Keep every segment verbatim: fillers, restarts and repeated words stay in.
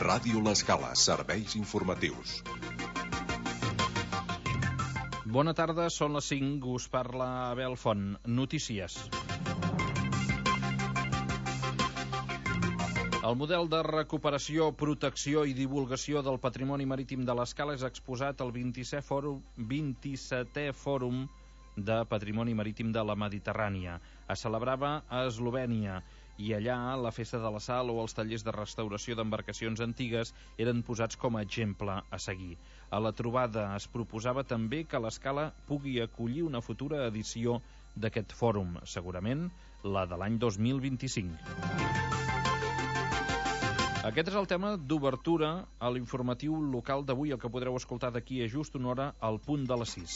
Ràdio L'Escala, serveis informatius. Bona tarda, són les cinc, us parla Abel Font. Notícies. El model de recuperació, protecció i divulgació del patrimoni marítim de l'Escala és exposat al vint-i-setè Fòrum, vint-i-setè Fòrum de Patrimoni Marítim de la Mediterrània. Es celebrava a Eslovènia i allà la Festa de la Sal o els tallers de restauració d'embarcacions antigues eren posats com a exemple a seguir. A la trobada es proposava també que l'Escala pugui acollir una futura edició d'aquest fòrum, segurament la de l'any dos mil vint-i-cinc. Aquest és el tema d'obertura a l'informatiu local d'avui, el que podreu escoltar d'aquí a just una hora al punt de les sis.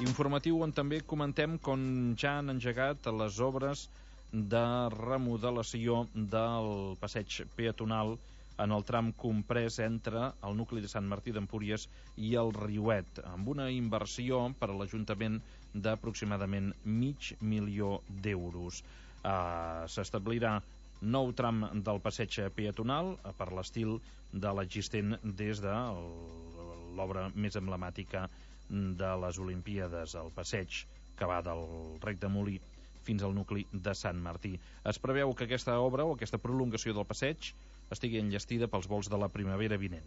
Informatiu on també comentem com ja han engegat les obres de remodelació del passeig peatonal en el tram comprès entre el nucli de Sant Martí d'Empúries i el Riuet, amb una inversió per a l'Ajuntament d'aproximadament mig milió d'euros. Uh, S'establirà nou tram del passeig peatonal per l'estil de l'existent des de l'obra més emblemàtica de les Olimpíades, el passeig que va del Rec de Molí fins al nucli de Sant Martí. Es preveu que aquesta obra o aquesta prolongació del passeig estigui enllestida pels vols de la primavera vinent.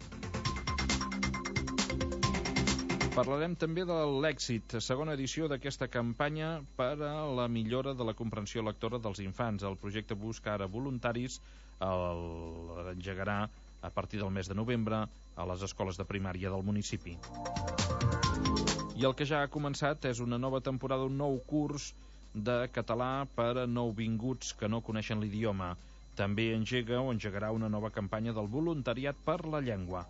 Parlarem també de l'èxit, segona edició d'aquesta campanya per a la millora de la comprensió lectora dels infants. El projecte busca ara voluntaris, l'engegarà a partir del mes de novembre a les escoles de primària del municipi. I el que ja ha començat és una nova temporada, un nou curs de català per a nouvinguts que no coneixen l'idioma. També engega o engegarà una nova campanya del voluntariat per la llengua.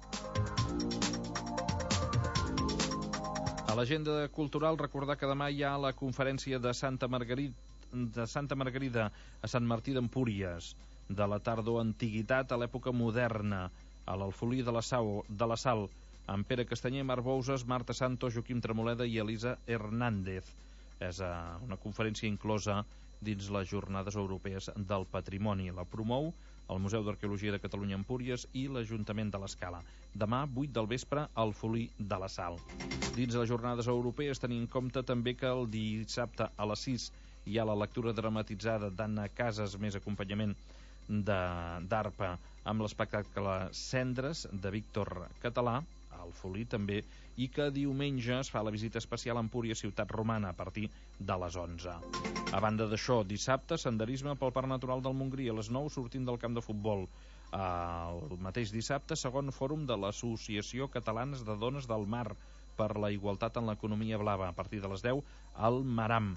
A l'agenda cultural, recordar que demà hi ha la conferència de Santa Margarida, de Santa Margarida a Sant Martí d'Empúries, de la tardoantiguitat a l'època moderna, a l'Alfolí de la Sau, de la Sal, amb Pere Castanyer, Marc Bouses, Marta Santos, Joaquim Tremoleda i Elisa Hernández. És una conferència inclosa dins les Jornades Europees del Patrimoni. La promou el Museu d'Arqueologia de Catalunya Empúries i l'Ajuntament de l'Escala. Demà, vuit del vespre, al Folí de la Sal. Dins les Jornades Europees tenim en compte també que el dissabte a les sis hi ha la lectura dramatitzada d'Anna Casas, més acompanyament d'arpa, amb l'espectacle Cendres de Víctor Català, al Folí també, i que diumenge es fa la visita especial a Empúries, ciutat romana, a partir de les onze. A banda d'això, dissabte, senderisme pel Parc Natural del Montgrí, a les nou sortint del camp de futbol. El mateix dissabte, segon fòrum de l'Associació Catalana de Dones del Mar per la igualtat en l'economia blava, a partir de les deu, al Maram.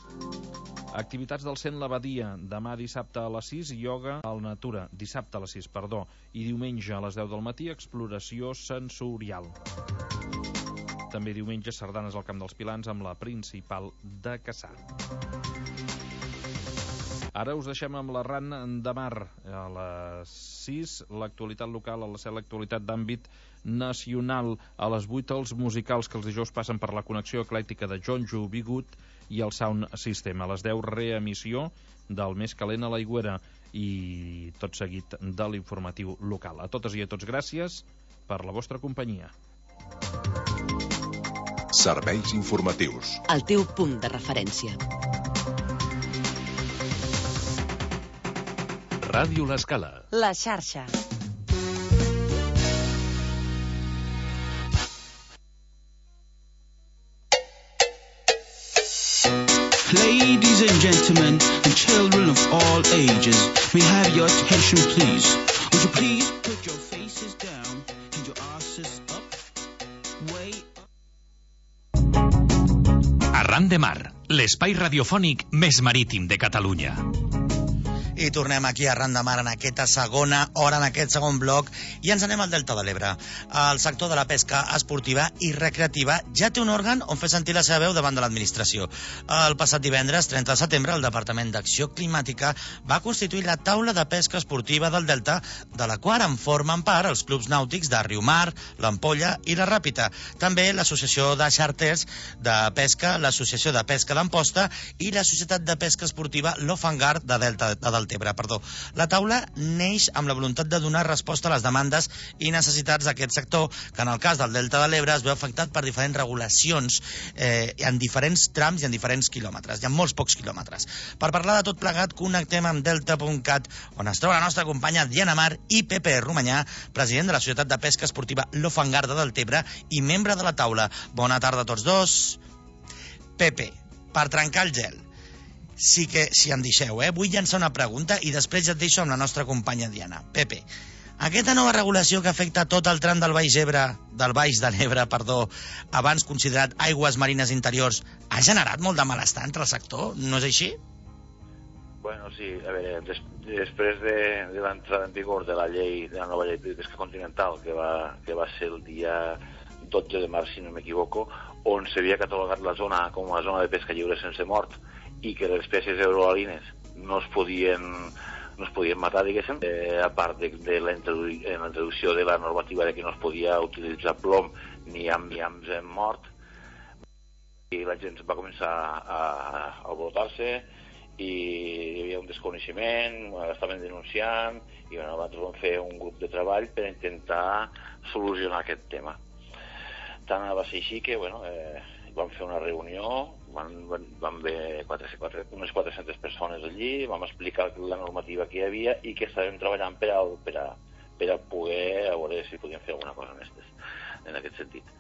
Activitats del Cent l'Abadia, demà dissabte a les sis, ioga al Natura, dissabte a les sis, perdó, i diumenge a les deu del matí, exploració sensorial. També diumenge, sardanes al Camp dels Pilans amb la Principal de Cassà. Ara us deixem amb l'Arran de Mar. A les sis, l'actualitat local, a les set, l'actualitat d'àmbit nacional. A les vuit, els musicals que els dijous passen per la connexió eclèctica de Jonjo Bigut i el Sound System. A les deu, reemissió del Més calent a l'Aigüera i tot seguit de l'informatiu local. A totes i a tots, gràcies per la vostra companyia. Serveis informatius. El teu punt de referència. Ràdio L'Escala. La xarxa. Ladies and gentlemen, and children of all ages, may I have your attention, please? Would you please put your faces down and your asses up, way up? Arran de Mar, l'espai radiofònic més marítim de Catalunya. I tornem aquí a Arran de Mar en aquesta segona hora, en aquest segon bloc, i ens anem al Delta de l'Ebre. El sector de la pesca esportiva i recreativa ja té un òrgan on fer sentir la seva veu davant de l'administració. El passat divendres, trenta de setembre, el Departament d'Acció Climàtica va constituir la taula de pesca esportiva del Delta, de la qual en formen part els clubs nàutics de Riumar, l'Ampolla i la Ràpita. També l'Associació de Xàrters de Pesca, l'Associació de Pesca d'Amposta i la Societat de Pesca Esportiva L'Ofangar de Delta de Delta Tebre. Perdó. La taula neix amb la voluntat de donar resposta a les demandes i necessitats d'aquest sector, que en el cas del Delta de l'Ebre es veu afectat per diferents regulacions eh, en diferents trams i en diferents quilòmetres, i en molts pocs quilòmetres. Per parlar de tot plegat, connectem amb delta punt cat, on es troba la nostra companya Diana Mar i Pepe Romanyà, president de la Societat de Pesca Esportiva Lo Fangar de Deltebre i membre de la taula. Bona tarda a tots dos. Pepe, per trencar el gel, sí que, si em deixeu, eh, vull llançar una pregunta i després ja et deixo amb la nostra companya Diana. Pepe, aquesta nova regulació que afecta tot el tram del Baix Ebre, del Baix de l'Ebre, perdó, abans considerat aigües marines interiors, ha generat molt de malestar entre el sector, no és així? Bueno, sí, a veure, des, després de, de l'entrada en vigor de la llei, de la nova llei de pesca continental, que va, que va ser el dia dotze de març, si no m'equivoco, on s'havia catalogat la zona com a zona de pesca lliure sense mort i que les espècies euroalines no es podien, no es podien matar, diguéssim, eh, a part de, de la, introdu la introducció de la normativa de que no es podia utilitzar plom ni amb llamps en mort, i la gent va començar a, a alborotar-se i hi havia un desconeixement, estaven denunciant i bueno, nosaltres vam fer un grup de treball per intentar solucionar aquest tema. Tant va ser així que bueno, eh, vam fer una reunió, van, van, van haver quatre, quatre, unes quatre-centes persones allí, vam explicar la normativa que hi havia i que estàvem treballant per a, per a, per a poder a veure si podíem fer alguna cosa en, estes, en aquest sentit.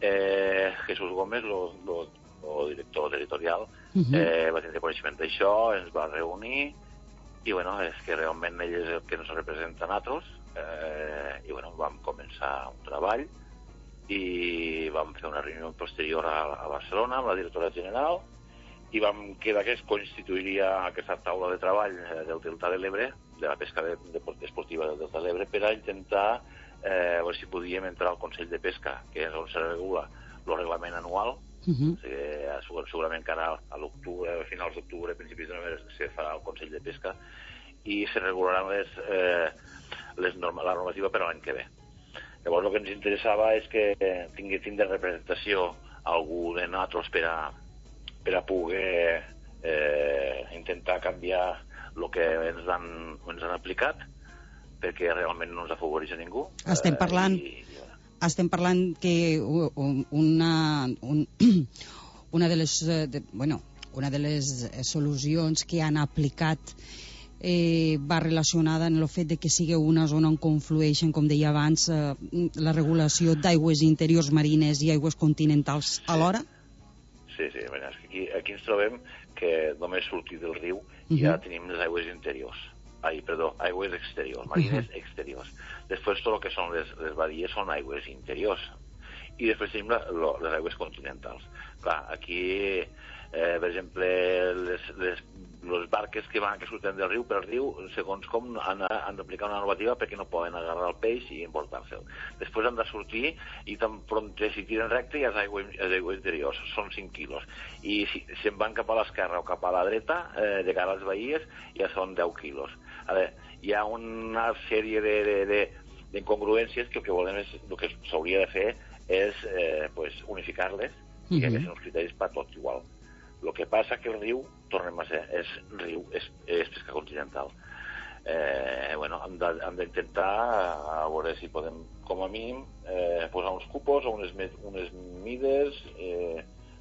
Eh, Jesús Gómez, el director territorial, uh-huh. eh, va tenir coneixement d'això, ens va reunir i bueno, és que realment ell és el que ens representa a nosaltres eh, i bueno, vam començar un treball i vam fer una reunió posterior a, a Barcelona amb la directora general i vam quedar que es constituiria aquesta taula de treball del Delta de l'Ebre, de la pesca de, de, esportiva del Delta de l'Ebre, per a intentar eh, veure si podíem entrar al Consell de Pesca, que és on se regula el reglament anual. Uh-huh. O sigui, segurament que ara a l'octubre, a finals d'octubre, principis de novembre, se farà el Consell de Pesca i se regularan les, eh, les norma, la normativa per a l'any que ve. Llavors el que ens interessava és que tinguéssim de representació algú de nosaltres per a, per a poder eh, intentar canviar el que ens han, ens han aplicat, perquè realment no ens afavoreix a ningú. Estem parlant, eh, i, i, estem parlant que una, un, una de les, de, bueno, una de les solucions que han aplicat Eh, va relacionada en el fet de que sigui una zona on conflueixen, com deia abans, eh, la regulació d'aigües interiors marines i aigües continentals alhora? Sí, sí, bueno, aquí, aquí ens trobem que només sortir del riu uh-huh. ja tenim les aigües interiors. Ai, perdó, aigües exteriors, marines uh-huh. exteriors. Després tot el que són les, les badies són aigües interiors. I després tenim la, lo, les aigües continentals. Clar, aquí, eh, per exemple, les, les les barques que van que surten del riu per riu, segons com han, han d'aplicar una normativa perquè no poden agarrar el peix i emportar-se'l. Després han de sortir i tan pront si tiren recte ja és aigua, és aigua interior, són cinc quilos. I si, si en van cap a l'esquerra o cap a la dreta, eh, de cara a les bahies, ja són deu quilos. A veure, hi ha una sèrie de, de, de, d'incongruències que el que volem és, el que s'hauria de fer és eh, pues, unificar-les i que hi hagi uns criteris per tot igual. El que passa que el riu, tornem a ser, és riu, és, és pesca continental. Eh, bueno, hem d'intentar a veure si podem, com a mínim, eh, posar uns cupos o unes, unes mides, eh,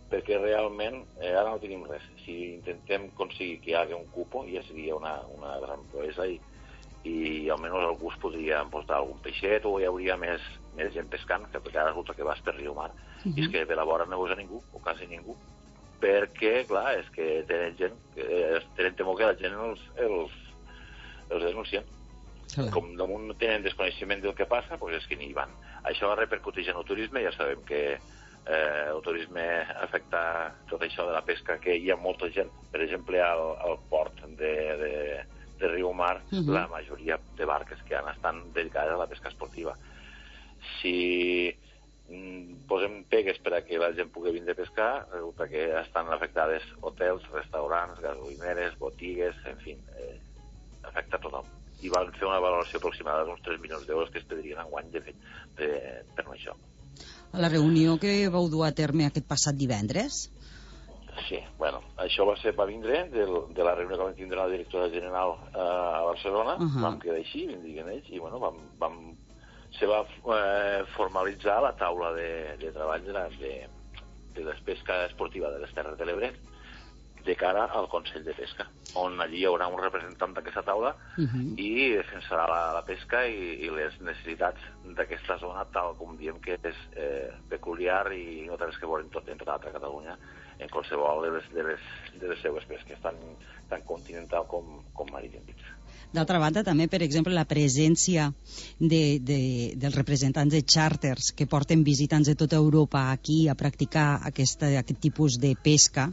perquè realment eh, ara no tenim res. Si intentem aconseguir que hi hagi un cupo, ja seria una, una gran proesa i, i almenys algú es podria portar algun peixet o hi hauria més, més gent pescant, que ara resulta que vas per riu mar. Uh-huh. I és que per la vora no veus a ningú, o quasi ningú, perquè, clar, és que tenen gent, eh, tenen temor que la gent els, els, els denuncien. Sí. Com damunt tenen desconeixement del que passa, doncs és que n'hi van. Això repercuteix en el turisme, ja sabem que eh, el turisme afecta tot això de la pesca, que hi ha molta gent, per exemple, al, al port de, de, de Riu Mar, uh-huh. la majoria de barques que han estan dedicades a la pesca esportiva. Si posem pegues per a que la gent pugui vindre a pescar, resulta que estan afectades hotels, restaurants, gasolineres, botigues, en fi, eh, afecta a tothom. I van fer una valoració aproximada d'uns tres milions d'euros que es perdrien enguany de fet de, per això. A la reunió que vau dur a terme aquest passat divendres, Sí, bueno, això va ser per vindre del, de la reunió que vam tindre la directora general eh, a Barcelona, uh -huh. vam quedar així, vam dir ells, i bueno, vam, vam, se va eh, formalitzar la taula de, de treball de la, de, de la pesca esportiva de les Terres de l'Ebre de cara al Consell de Pesca, on allí hi haurà un representant d'aquesta taula uh -huh. i defensarà la, la pesca i, i les necessitats d'aquesta zona, tal com diem que és eh, peculiar i no té res que veure en, tot, en tota altra Catalunya, en qualsevol de les, de les, de les seues pesques, tant, tant continental com, com marítim. D'altra banda, també, per exemple, la presència de, de, dels representants de xàrters que porten visitants de tota Europa aquí a practicar aquesta, aquest tipus de pesca,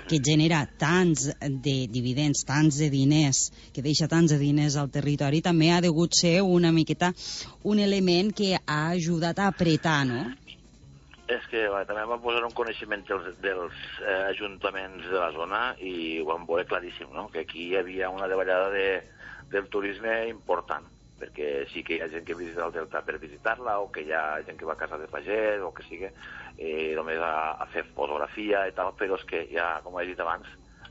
que genera tants de dividends, tants de diners, que deixa tants de diners al territori, també ha degut ser una miqueta un element que ha ajudat a apretar, no? És que va, també vam posar un coneixement dels, dels eh, ajuntaments de la zona i ho vam veure claríssim, no? Que aquí hi havia una davallada de, del turisme important, perquè sí que hi ha gent que visita el Delta per visitar-la, o que hi ha gent que va a casa de pagès, o que sigui, eh, només a, a fer fotografia i tal, però és que ja, com he dit abans,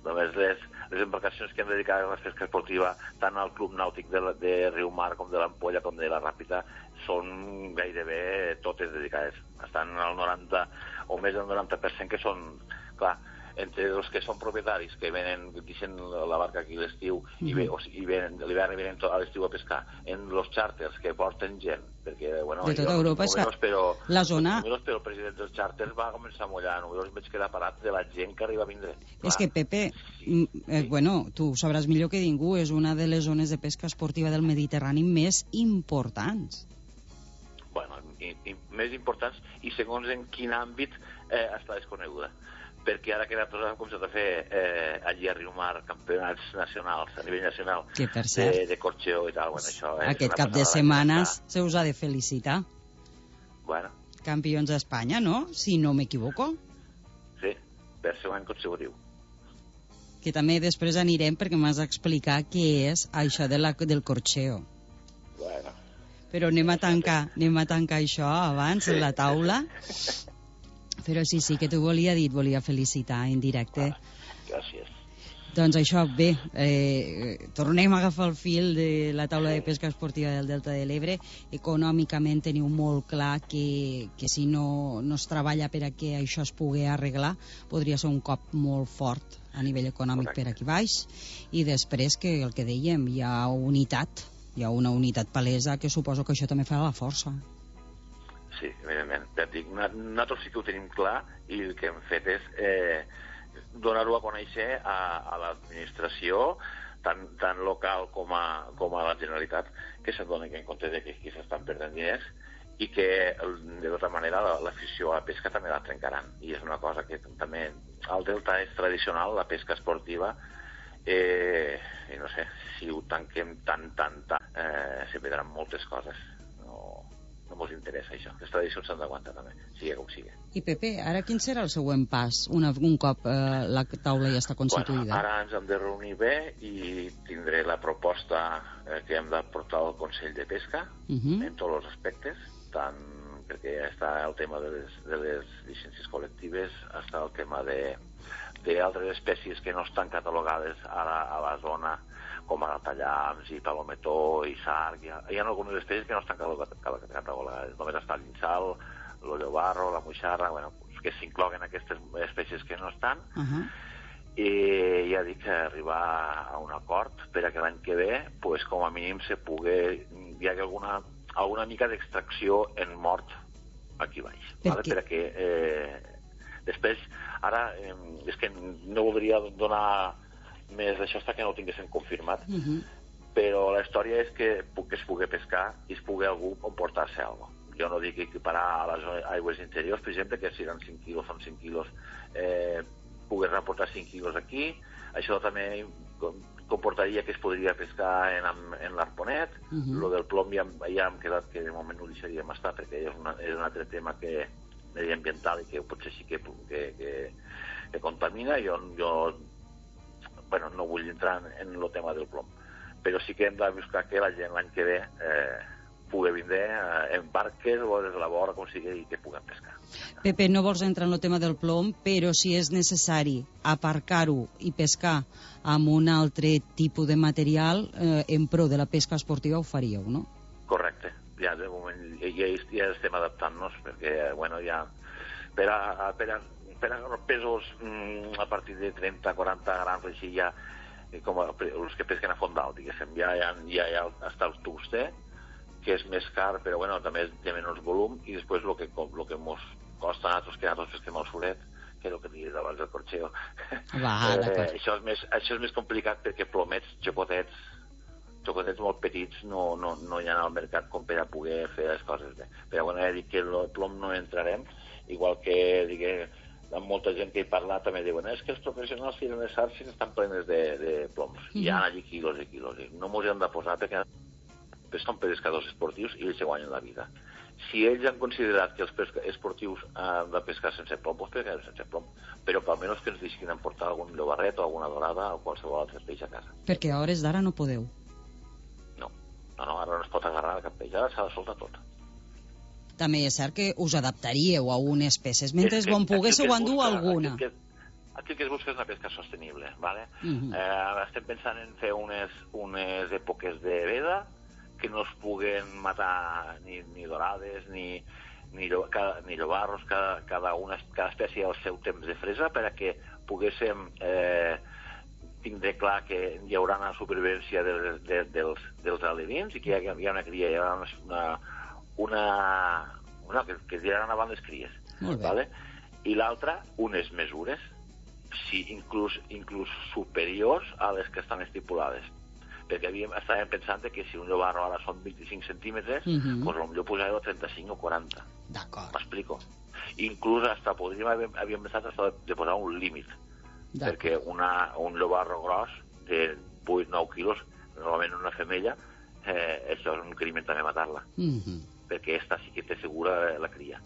només les, les embarcacions que han dedicat a la pesca esportiva, tant al Club Nàutic de, de Riumar, com de l'Ampolla, com de la Ràpita, són gairebé totes dedicades. Estan al noranta o més del noranta per cent que són, clar, entre els que són propietaris, que venen, deixen la barca aquí l'estiu i, ve, o, i venen, l'hivern i venen a l'estiu a pescar, en els xàrters que porten gent, perquè, bueno, de tota Europa, és que però, la zona... números, però el president dels xàrters va començar a mullar, números vaig quedar parat de la gent que arriba a vindre. És que, Pepe, sí. eh, bueno, tu sabràs millor que ningú, és una de les zones de pesca esportiva del Mediterrani més importants. Bueno, i, i més importants, i segons en quin àmbit eh, està desconeguda. Perquè ara que nosaltres hem començat a fer eh, allí a Riumar campionats nacionals, a nivell nacional, que per cert, de, de corxeo i tal. Bueno, això és aquest cap de setmanes se us ha de felicitar. Bueno. Campions d'Espanya, no? Si no m'equivoco. Sí, per segon any consecutiu. Que també després anirem perquè m'has d'explicar què és això de la, del corxeo. Bueno. Però anem a tancar, anem a tancar això abans, sí. La taula. Però sí, sí, que t'ho volia dir, volia felicitar en directe. Ah, gràcies. Doncs això, bé, eh, tornem a agafar el fil de la taula de pesca esportiva del Delta de l'Ebre. Econòmicament teniu molt clar que, que si no, no es treballa per a que això es pugui arreglar, podria ser un cop molt fort a nivell econòmic. Correcte. Per aquí baix. I després que el que dèiem, hi ha unitat, hi ha una unitat palesa que suposo que això també fa la força. Sí, evidentment. Ja et dic, nosaltres sí que ho tenim clar i el que hem fet és eh, donar-ho a conèixer a, a l'administració, tant, tant local com a, com a la Generalitat, que se'n donen en compte de que aquí s'estan perdent diners i que, de tota manera, l'afició a la pesca també la trencaran. I és una cosa que també al Delta és tradicional, la pesca esportiva, eh, i no sé, si ho tanquem tant, tant, tant, eh, se perdran moltes coses. No... no ens interessa això. Les tradicions s'han d'aguantar també, sigui com sigui. I Pepe, ara quin serà el següent pas una, un cop eh, la taula ja està constituïda? Bueno, ara ens hem de reunir bé i tindré la proposta eh, que hem de portar al Consell de Pesca uh -huh. en tots els aspectes, tant perquè està el tema de les, de les llicències col·lectives, està el tema de d'altres espècies que no estan catalogades ara a la zona, com ara tallams i palometó i sarg. Hi ha, hi ha algunes espècies que no estan catalogades. Només està l'insal, l'ollobarro, la moixarra, bueno, que s'incloguen aquestes espècies que no estan. Uh -huh. I ja dic que arribar a un acord per a que l'any que ve, pues, com a mínim, se pugui, hi hagi alguna, alguna mica d'extracció en mort aquí baix. Vale? Per a que eh, després, ara, eh, és que no voldria donar més d'això fins que no ho tinguéssim confirmat, uh -huh. però la història és que, que es pugui pescar i es pugui algú emportar-se alguna cosa. Jo no dic equiparar a les aigües interiors, per exemple, que si eren cinc quilos, són cinc quilos, eh, pogués reportar cinc quilos aquí. Això també comportaria que es podria pescar en, en l'Arponet. Uh -huh. Lo del plom ja, ja hem quedat que de moment no ho deixaríem estar, perquè és, una, és un altre tema que mediambiental i que potser sí que, que, que, que contamina. Jo, jo bueno, no vull entrar en el tema del plom, però sí que hem de buscar que la gent l'any que ve eh, pugui vindre eh, en barques o des de la vora, com sigui, i que puguem pescar. Pepe, no vols entrar en el tema del plom, però si és necessari aparcar-ho i pescar amb un altre tipus de material, eh, en pro de la pesca esportiva ho faríeu, no? Correcte. Ja de moment ja, ja estem adaptant-nos, perquè, bueno, ja... Per a, per a, per a pesos mm, a partir de trenta quaranta grams, així ja, com els que pesquen a fondal, diguéssim, ja, ja, ja, ja està el tuster, que és més car, però bueno, també té menys volum, i després el que, lo que mos costa a nosaltres, que nosaltres pesquem al solet, que és el que diguis abans del corxeo. Va, eh, això, és més, això és més complicat perquè plomets, xocotets, xocotets molt petits no, no, no hi ha al mercat com per a poder fer les coses bé. Però bueno, ja dic que el plom no entrarem, igual que digue, amb molta gent que he parlat també diuen és que els professionals tiren les xarxes estan plenes de, de ploms. Mm -hmm. Hi ha allí quilos i quilos. No mos hi hem de posar perquè són pescadors esportius i ells se guanyen la vida. Si ells han considerat que els esportius han de pescar sense plom, doncs pescarem sense plom. Però per almenys que ens deixin emportar algun llobarret o alguna dorada o qualsevol altre peix a casa. Perquè a hores d'ara no podeu. No, no, no, ara no es pot agarrar cap peix, ara s'ha de soltar tot. També és cert que us adaptaríeu a unes peces, mentre que, bon poguéssiu endur alguna. Aquí, aquí el que es busca és una pesca sostenible, ¿vale? Uh Mhm. -huh. eh, estem pensant en fer unes, unes èpoques de veda que no es puguen matar ni, ni dorades, ni, ni, cada, ni llobarros, cada, cada, una, cada espècie al seu temps de fresa, per a que poguéssim eh, tindre clar que hi haurà una supervivència de, de, dels, dels alevins i que hi ha, hi ha una cria, hi ha una... una una, una que, que tiraran avant les cries, vale? I l'altra, unes mesures si inclús, inclús superiors a les que estan estipulades, perquè havíem, estàvem pensant que si un llobarro ara són vint-i-cinc centímetres, uh -huh. doncs potser posar-ho a trenta-cinc o quaranta. D'acord. M'explico? Inclús hasta podríem, havíem, havíem pensat hasta de posar un límit, perquè una, un llobarro gros de vuit a nou quilos, normalment una femella, eh, això és un crimen també matar-la. Uh -huh. Perquè esta sí que té segura la cria.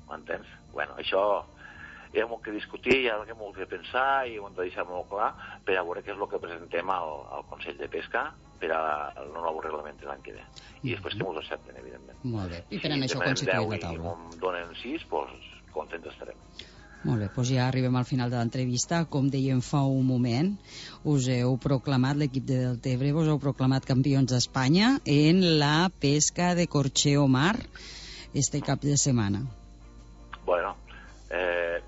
M'entens? Bueno, això hi ha molt que discutir, hi ha molt que pensar i ho hem de deixar molt clar per a veure què és el que presentem al, al Consell de Pesca per al nou reglament de l'any que ve. I després que m'ho accepten, evidentment. Molt bé. I per si això constituïm la I taula. si em donen sis, doncs contents estarem. Molt bé, doncs ja arribem al final de l'entrevista. Com dèiem fa un moment, us heu proclamat, l'equip de Deltebre, us heu proclamat campions d'Espanya en la pesca de corxeo mar este cap de setmana. Bueno, eh,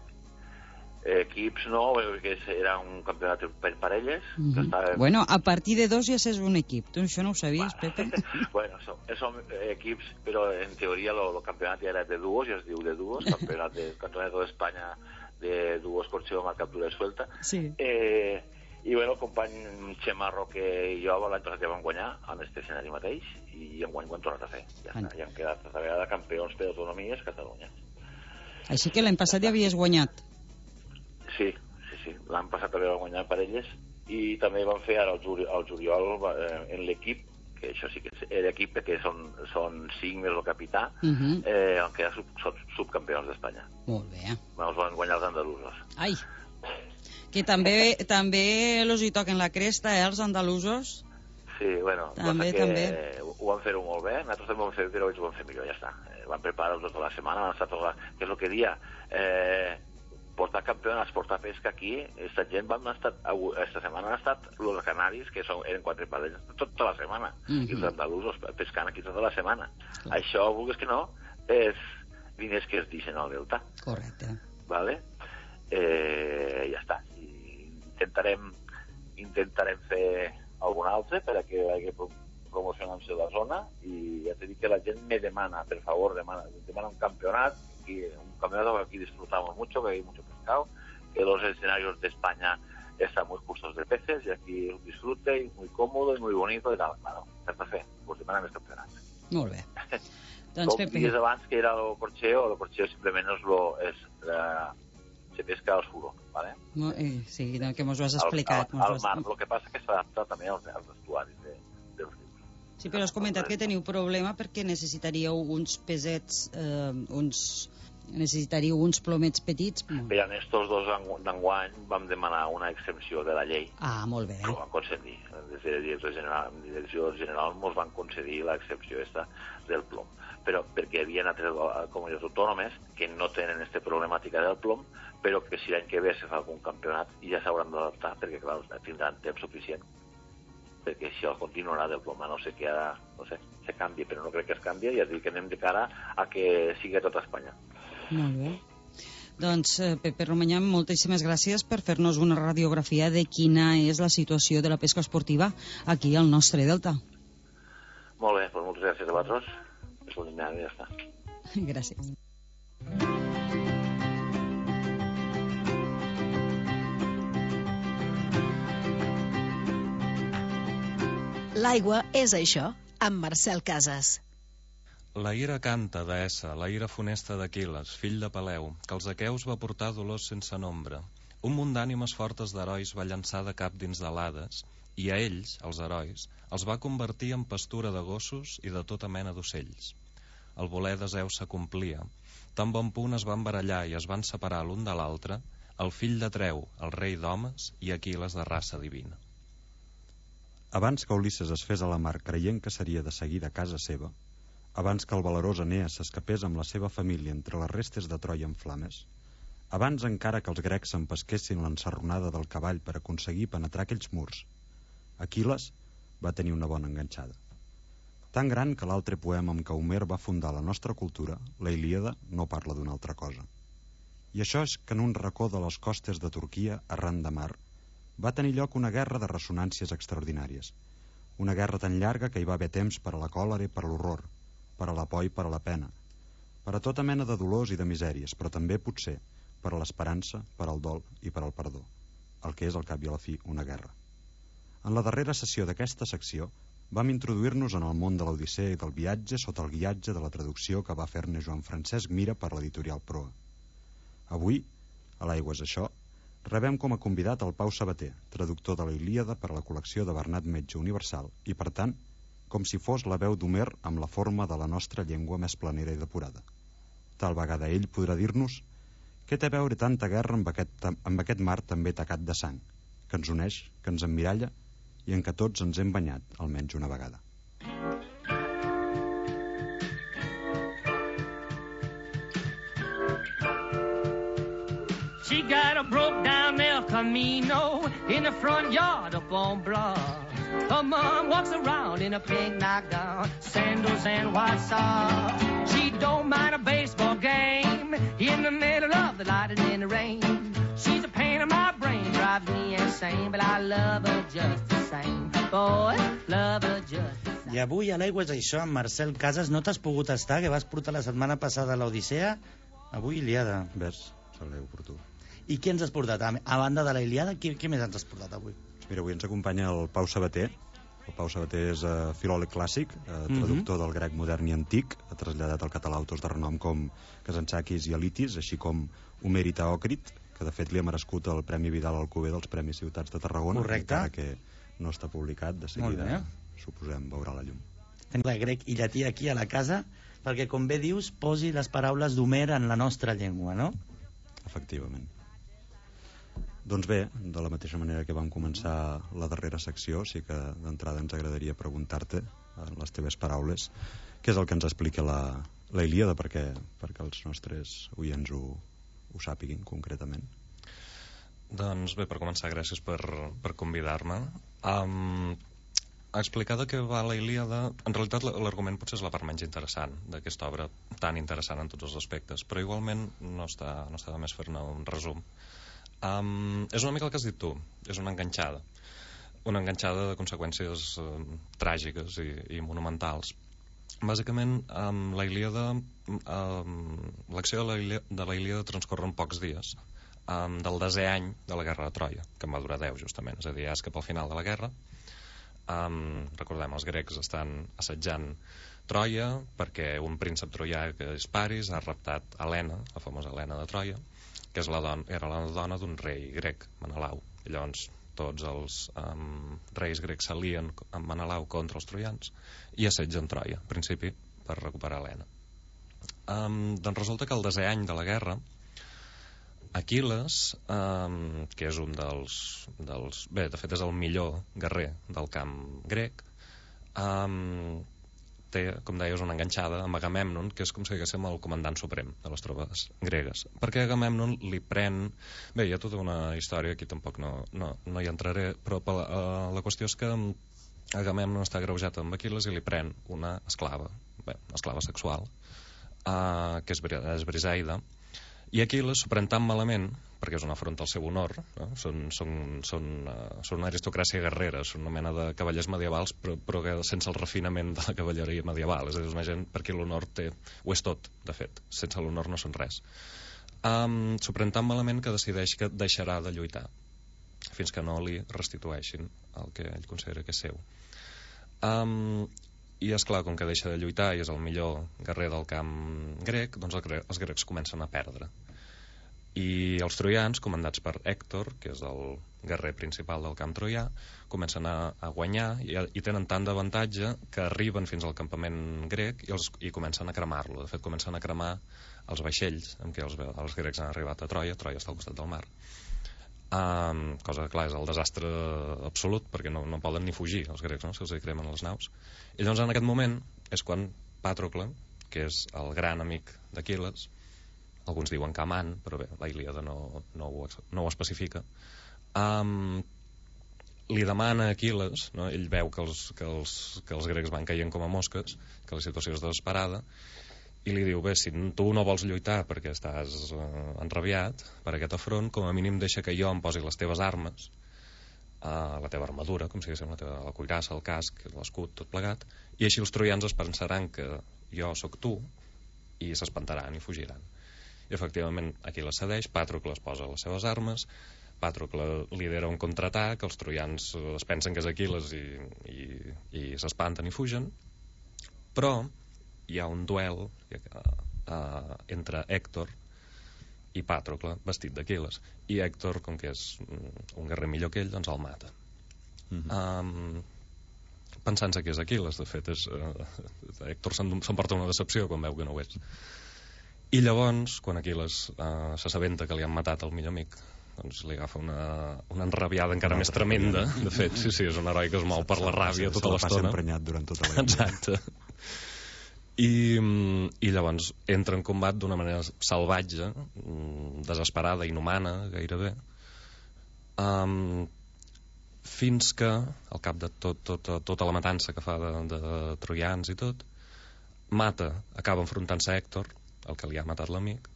equips no, perquè era un campionat per parelles. Mm -hmm. estava... Bueno, a partir de dos ja és un equip. Tu això no ho sabies, bueno. Pepe? Bueno, som, som equips, però en teoria el campionat ja era de duos, ja es diu de duos, campionat de Campeonato d'Espanya de duos corxeo amb captura de suelta. Sí. Eh, I bueno, el company Xema Roque i jo l'any passat ja vam guanyar en aquest escenari mateix i enguany ho hem tornat a fer. Ja, està, ja hem quedat a vegada campions per autonomies Catalunya. Així que l'any passat ja havies guanyat. Sí, sí, sí. L'any passat també vam guanyar parelles i també vam fer ara el, juri, el juliol eh, en l'equip, que això sí que és l'equip perquè són, són cinc més el capità, uh -huh. eh, en què sub, sub, subcampions d'Espanya. Molt bé. Ens van guanyar els andalusos. Ai, que també també els hi toquen la cresta, eh, els andalusos? Sí, bueno, també, que també. ho van fer-ho molt bé, nosaltres també ho vam fer, però ells ho van fer millor, ja està. Eh, van preparar-ho tota la setmana, van estar tota la... que és el que dia... Eh, portar campionats, portar pesca aquí, aquesta gent van estar, esta setmana han estat els canaris, que són, eren quatre parelles, tota la setmana, mm -hmm. i els andalusos pescant aquí tota la setmana. Clar. Això, vulguis que no, és diners que es deixen al delta. Correcte. Vale? Eh, ja està. I intentarem, intentarem fer algun altre per a que vagi promocionant-se la zona, i ja t'he dit que la gent me demana, per favor, demana, demana un campionat, aquí, un campeonato que aquí disfrutamos mucho, que hay mucho pescado, que los escenarios de España están muy justos de peces, y aquí es un disfrute, y muy cómodo, y muy bonito, y tal. Bueno, per fer, pues demanem els campionats. Molt bé. Doncs, Com Pepe... dies abans que era el corxeo, el corxeo simplement és, lo, és la, se pesca al suro, ¿vale? No, eh, sí, no, que mos ho has explicat. Al, al, al mar, el que passa que s'adapta també als, als estuaris de, dels rius. Sí, però has comentat que teniu problema perquè necessitaríeu uns pesets, eh, uns necessitaríeu uns plomets petits. Per en estos dos d'enguany vam demanar una exempció de la llei. Ah, molt bé. Ho van concedir. Des de la direcció general, direcció general ens van concedir l'exempció esta del plom. Però perquè hi havia altres comunitats autònomes que no tenen aquesta problemàtica del plom, però que si l'any que ve se fa algun campionat ja s'hauran d'adaptar, perquè clar, tindran temps suficient, perquè si el continuarà del plom, a no sé que ara, no sé, se canvi, però no crec que es canvi, ja dic que anem de cara a que sigui a tota Espanya. Molt bé. Doncs, eh, Pepe Romanyà, moltíssimes gràcies per fer-nos una radiografia de quina és la situació de la pesca esportiva aquí al nostre delta. Molt bé, doncs moltes gràcies a vosaltres. Ja està. Gràcies. L'aigua és això, amb Marcel Casas. La ira canta d'Essa, la ira funesta d'Aquiles, fill de Peleu, que els aqueus va portar dolors sense nombre. Un munt d'ànimes fortes d'herois va llançar de cap dins de l'Hades, i a ells, els herois, els va convertir en pastura de gossos i de tota mena d'ocells. El voler de Zeus s'acomplia. Tan bon punt es van barallar i es van separar l'un de l'altre, el fill de Treu, el rei d'homes, i Aquiles de raça divina. Abans que Ulisses es fes a la mar creient que seria de seguida a casa seva, abans que el valerós Enees s'escapés amb la seva família entre les restes de Troia en flames, abans encara que els grecs s'empesquessin l'ensarronada del cavall per aconseguir penetrar aquells murs, Aquiles va tenir una bona enganxada. Tan gran que l'altre poema amb què Homer va fundar la nostra cultura, la Ilíada, no parla d'una altra cosa. I això és que en un racó de les costes de Turquia, arran de mar, va tenir lloc una guerra de ressonàncies extraordinàries. Una guerra tan llarga que hi va haver temps per a la còlera i per a l'horror, per a la por i per a la pena, per a tota mena de dolors i de misèries, però també, potser, per a l'esperança, per al dol i per al perdó, el que és al cap i a la fi una guerra. En la darrera sessió d'aquesta secció vam introduir-nos en el món de l'Odissea i del viatge sota el guiatge de la traducció que va fer-ne Joan Francesc Mira per l'editorial Proa. Avui, a l'Aigua és això, rebem com a convidat el Pau Sabater, traductor de la Ilíada per a la col·lecció de Bernat Metge Universal i, per tant, com si fos la veu d'Homer amb la forma de la nostra llengua més planera i depurada. Tal vegada ell podrà dir-nos què té a veure tanta guerra amb aquest, amb aquest mar també tacat de sang, que ens uneix, que ens emmiralla i en què tots ens hem banyat almenys una vegada. She got a broke down El Camino in the front yard up on Broad. Her mom walks around in a pink nightgown, sandals and white socks. She don't mind a baseball game in the middle of the night and in the rain. She's a pain in my brain, drives me insane, but I love her just the same. Boy, love her just the same. I avui a l'Aigua és això, amb Marcel Casas. No t'has pogut estar, que vas portar la setmana passada a l'Odissea. Avui Ilíada. Ves, saleu per tu. I qui ens has portat? A banda de la Ilíada, qui, qui més ens has portat avui? Mira, avui ens acompanya el Pau Sabater. El Pau Sabater és uh, filòleg clàssic, uh, traductor uh -huh. del grec modern i antic, ha traslladat al català autors de renom com Kazantzakis i Elitis, així com Homer i Teòcrit, que de fet li ha merescut el Premi Vidal Alcover dels Premis Ciutats de Tarragona. Correcte. Encara que no està publicat, de seguida, suposem, veurà la llum. Tenim el grec i llatí aquí a la casa, perquè, com bé dius, posi les paraules d'Homer en la nostra llengua, no? Efectivament. Doncs bé, de la mateixa manera que vam començar la darrera secció, sí que d'entrada ens agradaria preguntar-te, en les teves paraules, què és el que ens explica la, la Ilíada, perquè, perquè els nostres oients ho, ho sàpiguin concretament. Doncs bé, per començar, gràcies per, per convidar-me. Um, explicar de què va la Ilíada, en realitat l'argument potser és la part menys interessant d'aquesta obra, tan interessant en tots els aspectes, però igualment no està, no està de més fer-ne un resum. Um, és una mica el que has dit tu, és una enganxada una enganxada de conseqüències um, tràgiques i, i monumentals. Bàsicament, um, la Ilíada um, l'acció de la Ilíada, de la Ilíada transcorre en pocs dies um, del desè any de la guerra de Troia, que en va durar deu justament, és a dir, és cap al final de la guerra. Um, recordem, els grecs estan assetjant Troia perquè un príncep troià, que és Paris, ha raptat Helena, la famosa Helena de Troia, que és la dona, era la dona d'un rei grec, Menelau. I llavors tots els um, reis grecs s'alien amb Menelau contra els troians i assetgen Troia, en principi per recuperar Helena. Um, doncs resulta que el desè any de la guerra, Aquil·les, um, que és un dels, dels... Bé, de fet és el millor guerrer del camp grec, um, té, com deies, una enganxada amb Agamèmnon, que és com si diguéssim el comandant suprem de les tropes gregues. Perquè Agamèmnon li pren... Bé, hi ha tota una història, aquí tampoc no, no, no hi entraré, però la, uh, la qüestió és que Agamèmnon està agreujat amb Aquil·les i li pren una esclava, bé, una esclava sexual, uh, que és, és Briseida, i Aquil·les s'ho pren tan malament, perquè és una afronta al seu honor, no? són, són, són, uh, són una aristocràcia guerrera, són una mena de cavallers medievals, però, però sense el refinament de la cavalleria medieval. És a dir, és una gent per qui l'honor té... Ho és tot, de fet. Sense l'honor no són res. Um, s'ho pren tan malament que decideix que deixarà de lluitar fins que no li restitueixin el que ell considera que és seu. Um, I, esclar, com que deixa de lluitar i és el millor guerrer del camp grec, doncs els grecs comencen a perdre. I els troians, comandats per Hèctor, que és el guerrer principal del camp troià, comencen a, a guanyar i, i tenen tant d'avantatge que arriben fins al campament grec i, els, i comencen a cremar-lo. De fet, comencen a cremar els vaixells amb què els, els grecs han arribat a Troia. Troia està al costat del mar. Um, cosa que, clar, és el desastre absolut, perquè no, no poden ni fugir els grecs, no? Se'ls cremen les naus. I llavors en aquest moment és quan Pàtrocle, que és el gran amic d'Aquil·les, alguns diuen que amant, però bé, la Ilíada no, no, ho, no ho especifica, um, li demana a Aquil·les, no? Ell veu que els, que, els, que els grecs van caient com a mosques, que la situació és desesperada, i li diu, bé, si tu no vols lluitar perquè estàs uh, enrabiat per aquest afront, com a mínim deixa que jo em posi les teves armes, uh, la teva armadura, com si diguéssim, la teva la cuirassa, el casc, l'escut, tot plegat, i així els troians es pensaran que jo sóc tu i s'espantaran i fugiran. I efectivament Aquil·les cedeix, Pàtrocle es posa les seves armes, Pàtrocle lidera un contraatac, els troians es pensen que és Aquil·les i, i, i s'espanten i fugen, però hi ha un duel uh, uh, entre Hèctor i Pàtrocle vestit d'Aquil·les, i Hèctor, com que és un guerrer millor que ell, doncs el mata. Mm-hmm. um, pensant-se que és Aquil·les, de fet és, uh, Hèctor s'emporta una decepció quan veu que no ho és, i llavors quan Aquil·les uh, s'assabenta que li han matat el millor amic, doncs li agafa una, una enrabiada encara una més tremenda. De fet, sí, sí, és un heroi que es mou per la ràbia tota l'estona. Se la passa emprenyat durant tota la vida. Exacte. I, i llavors entra en combat d'una manera salvatge, desesperada, inhumana gairebé, um, fins que al cap de tot, tot, tota la matança que fa de, de troians i tot, mata, acaba enfrontant-se a Hèctor, el que li ha matat l'amic,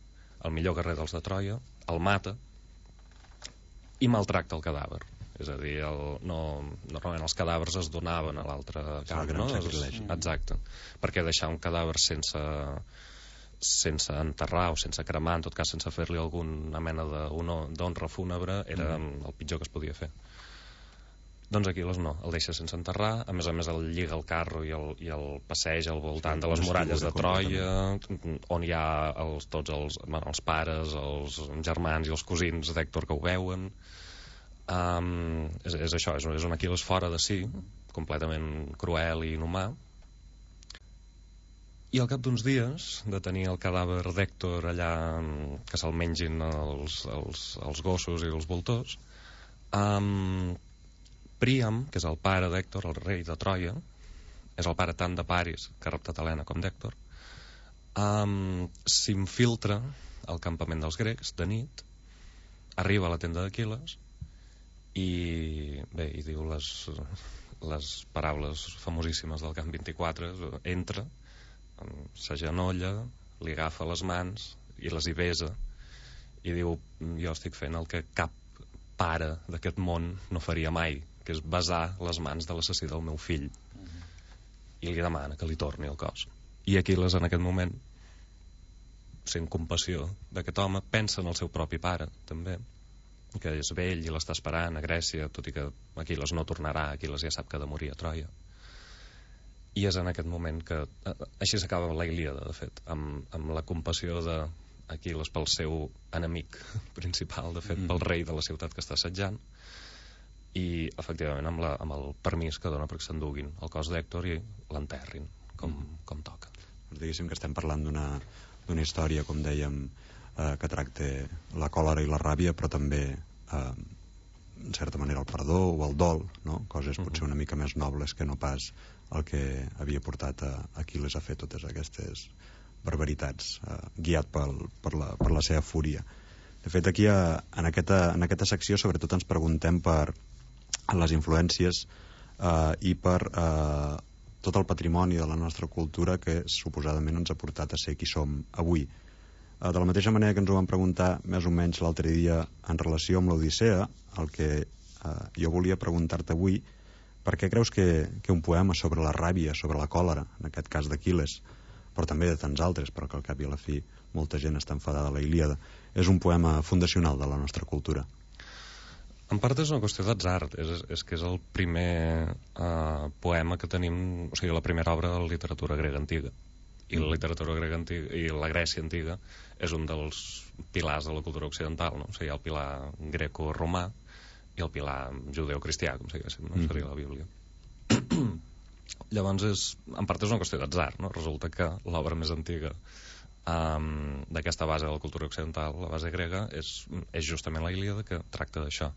el millor guerrer dels de Troia, el mata i maltracta el cadàver. És a dir, el, no, normalment els cadàvers es donaven a l'altre camp, no? Exacte, perquè deixar un cadàver sense, sense enterrar o sense cremar, en tot cas sense fer-li alguna mena d'honra fúnebre, era mm. el pitjor que es podia fer. Doncs Aquil·les no, el deixa sense enterrar, a més a més el lliga el carro i el, i el passeja al voltant de les muralles de Troia, on hi ha els, tots els, bueno, els pares, els germans i els cosins d'Hèctor que ho veuen. Um, és, és això, és, és un Aquil·les fora de si, completament cruel i inhumà, i al cap d'uns dies de tenir el cadàver d'Hèctor allà, que se'l mengin els, els, els gossos i els voltors, um, Príam, que és el pare d'Hèctor, el rei de Troia, és el pare tant de Paris que ha raptat Helena com d'Hèctor, um, s'infiltra al campament dels grecs de nit, arriba a la tenda d'Aquil·les i bé, i diu les, les paraules famosíssimes del camp vint-i-quatre, entra, s'agenolla, li agafa les mans i les hi besa i diu, jo estic fent el que cap pare d'aquest món no faria mai, que és besar les mans de l'assassí del meu fill, i li demana que li torni el cos. I Aquil·les en aquest moment, sent compassió d'aquest home, pensa en el seu propi pare també, que és vell i l'està esperant a Grècia, tot i que Aquil·les no tornarà, Aquil·les ja sap que ha de morir a Troia. I és en aquest moment que així s'acaba la Ilíada, de fet, amb, amb la compassió d'Aquil·les pel seu enemic principal, de fet, mm. pel rei de la ciutat que està assetjant, i efectivament amb, la, amb el permís que dona perquè s'enduguin el cos d'Hèctor i l'enterrin com, mm. com toca. Diguéssim que estem parlant d'una d'una història, com dèiem, eh, que tracta la còlera i la ràbia, però també eh, en certa manera el perdó o el dol, no? Coses potser una mica més nobles que no pas el que havia portat a Aquil·les a fer totes aquestes barbaritats, eh, guiat pel, per, la, per la seva fúria. De fet, aquí a, en, aquesta, en aquesta secció sobretot ens preguntem per les influències eh, i per eh, tot el patrimoni de la nostra cultura que suposadament ens ha portat a ser qui som avui. Eh, de la mateixa manera que ens ho vam preguntar més o menys l'altre dia en relació amb l'Odissea, el que eh, jo volia preguntar-te avui, per què creus que, que un poema sobre la ràbia, sobre la còlera, en aquest cas d'Aquil·les, però també de tants altres, però que al cap i a la fi molta gent està enfadada a la Ilíada, és un poema fundacional de la nostra cultura? En part és una qüestió d'atzar, és, és que és el primer uh, poema que tenim, o sigui, la primera obra de la literatura grega antiga. I la literatura grega antiga, i la Grècia antiga, és un dels pilars de la cultura occidental, no? O sigui, hi ha el pilar greco-romà i el pilar judeu-cristià, com diguéssim, no? Seria la Bíblia. Llavors, és, en part és una qüestió d'atzar, no? Resulta que l'obra més antiga um, d'aquesta base de la cultura occidental, la base grega, és, és justament la Ilíada, que tracta d'això.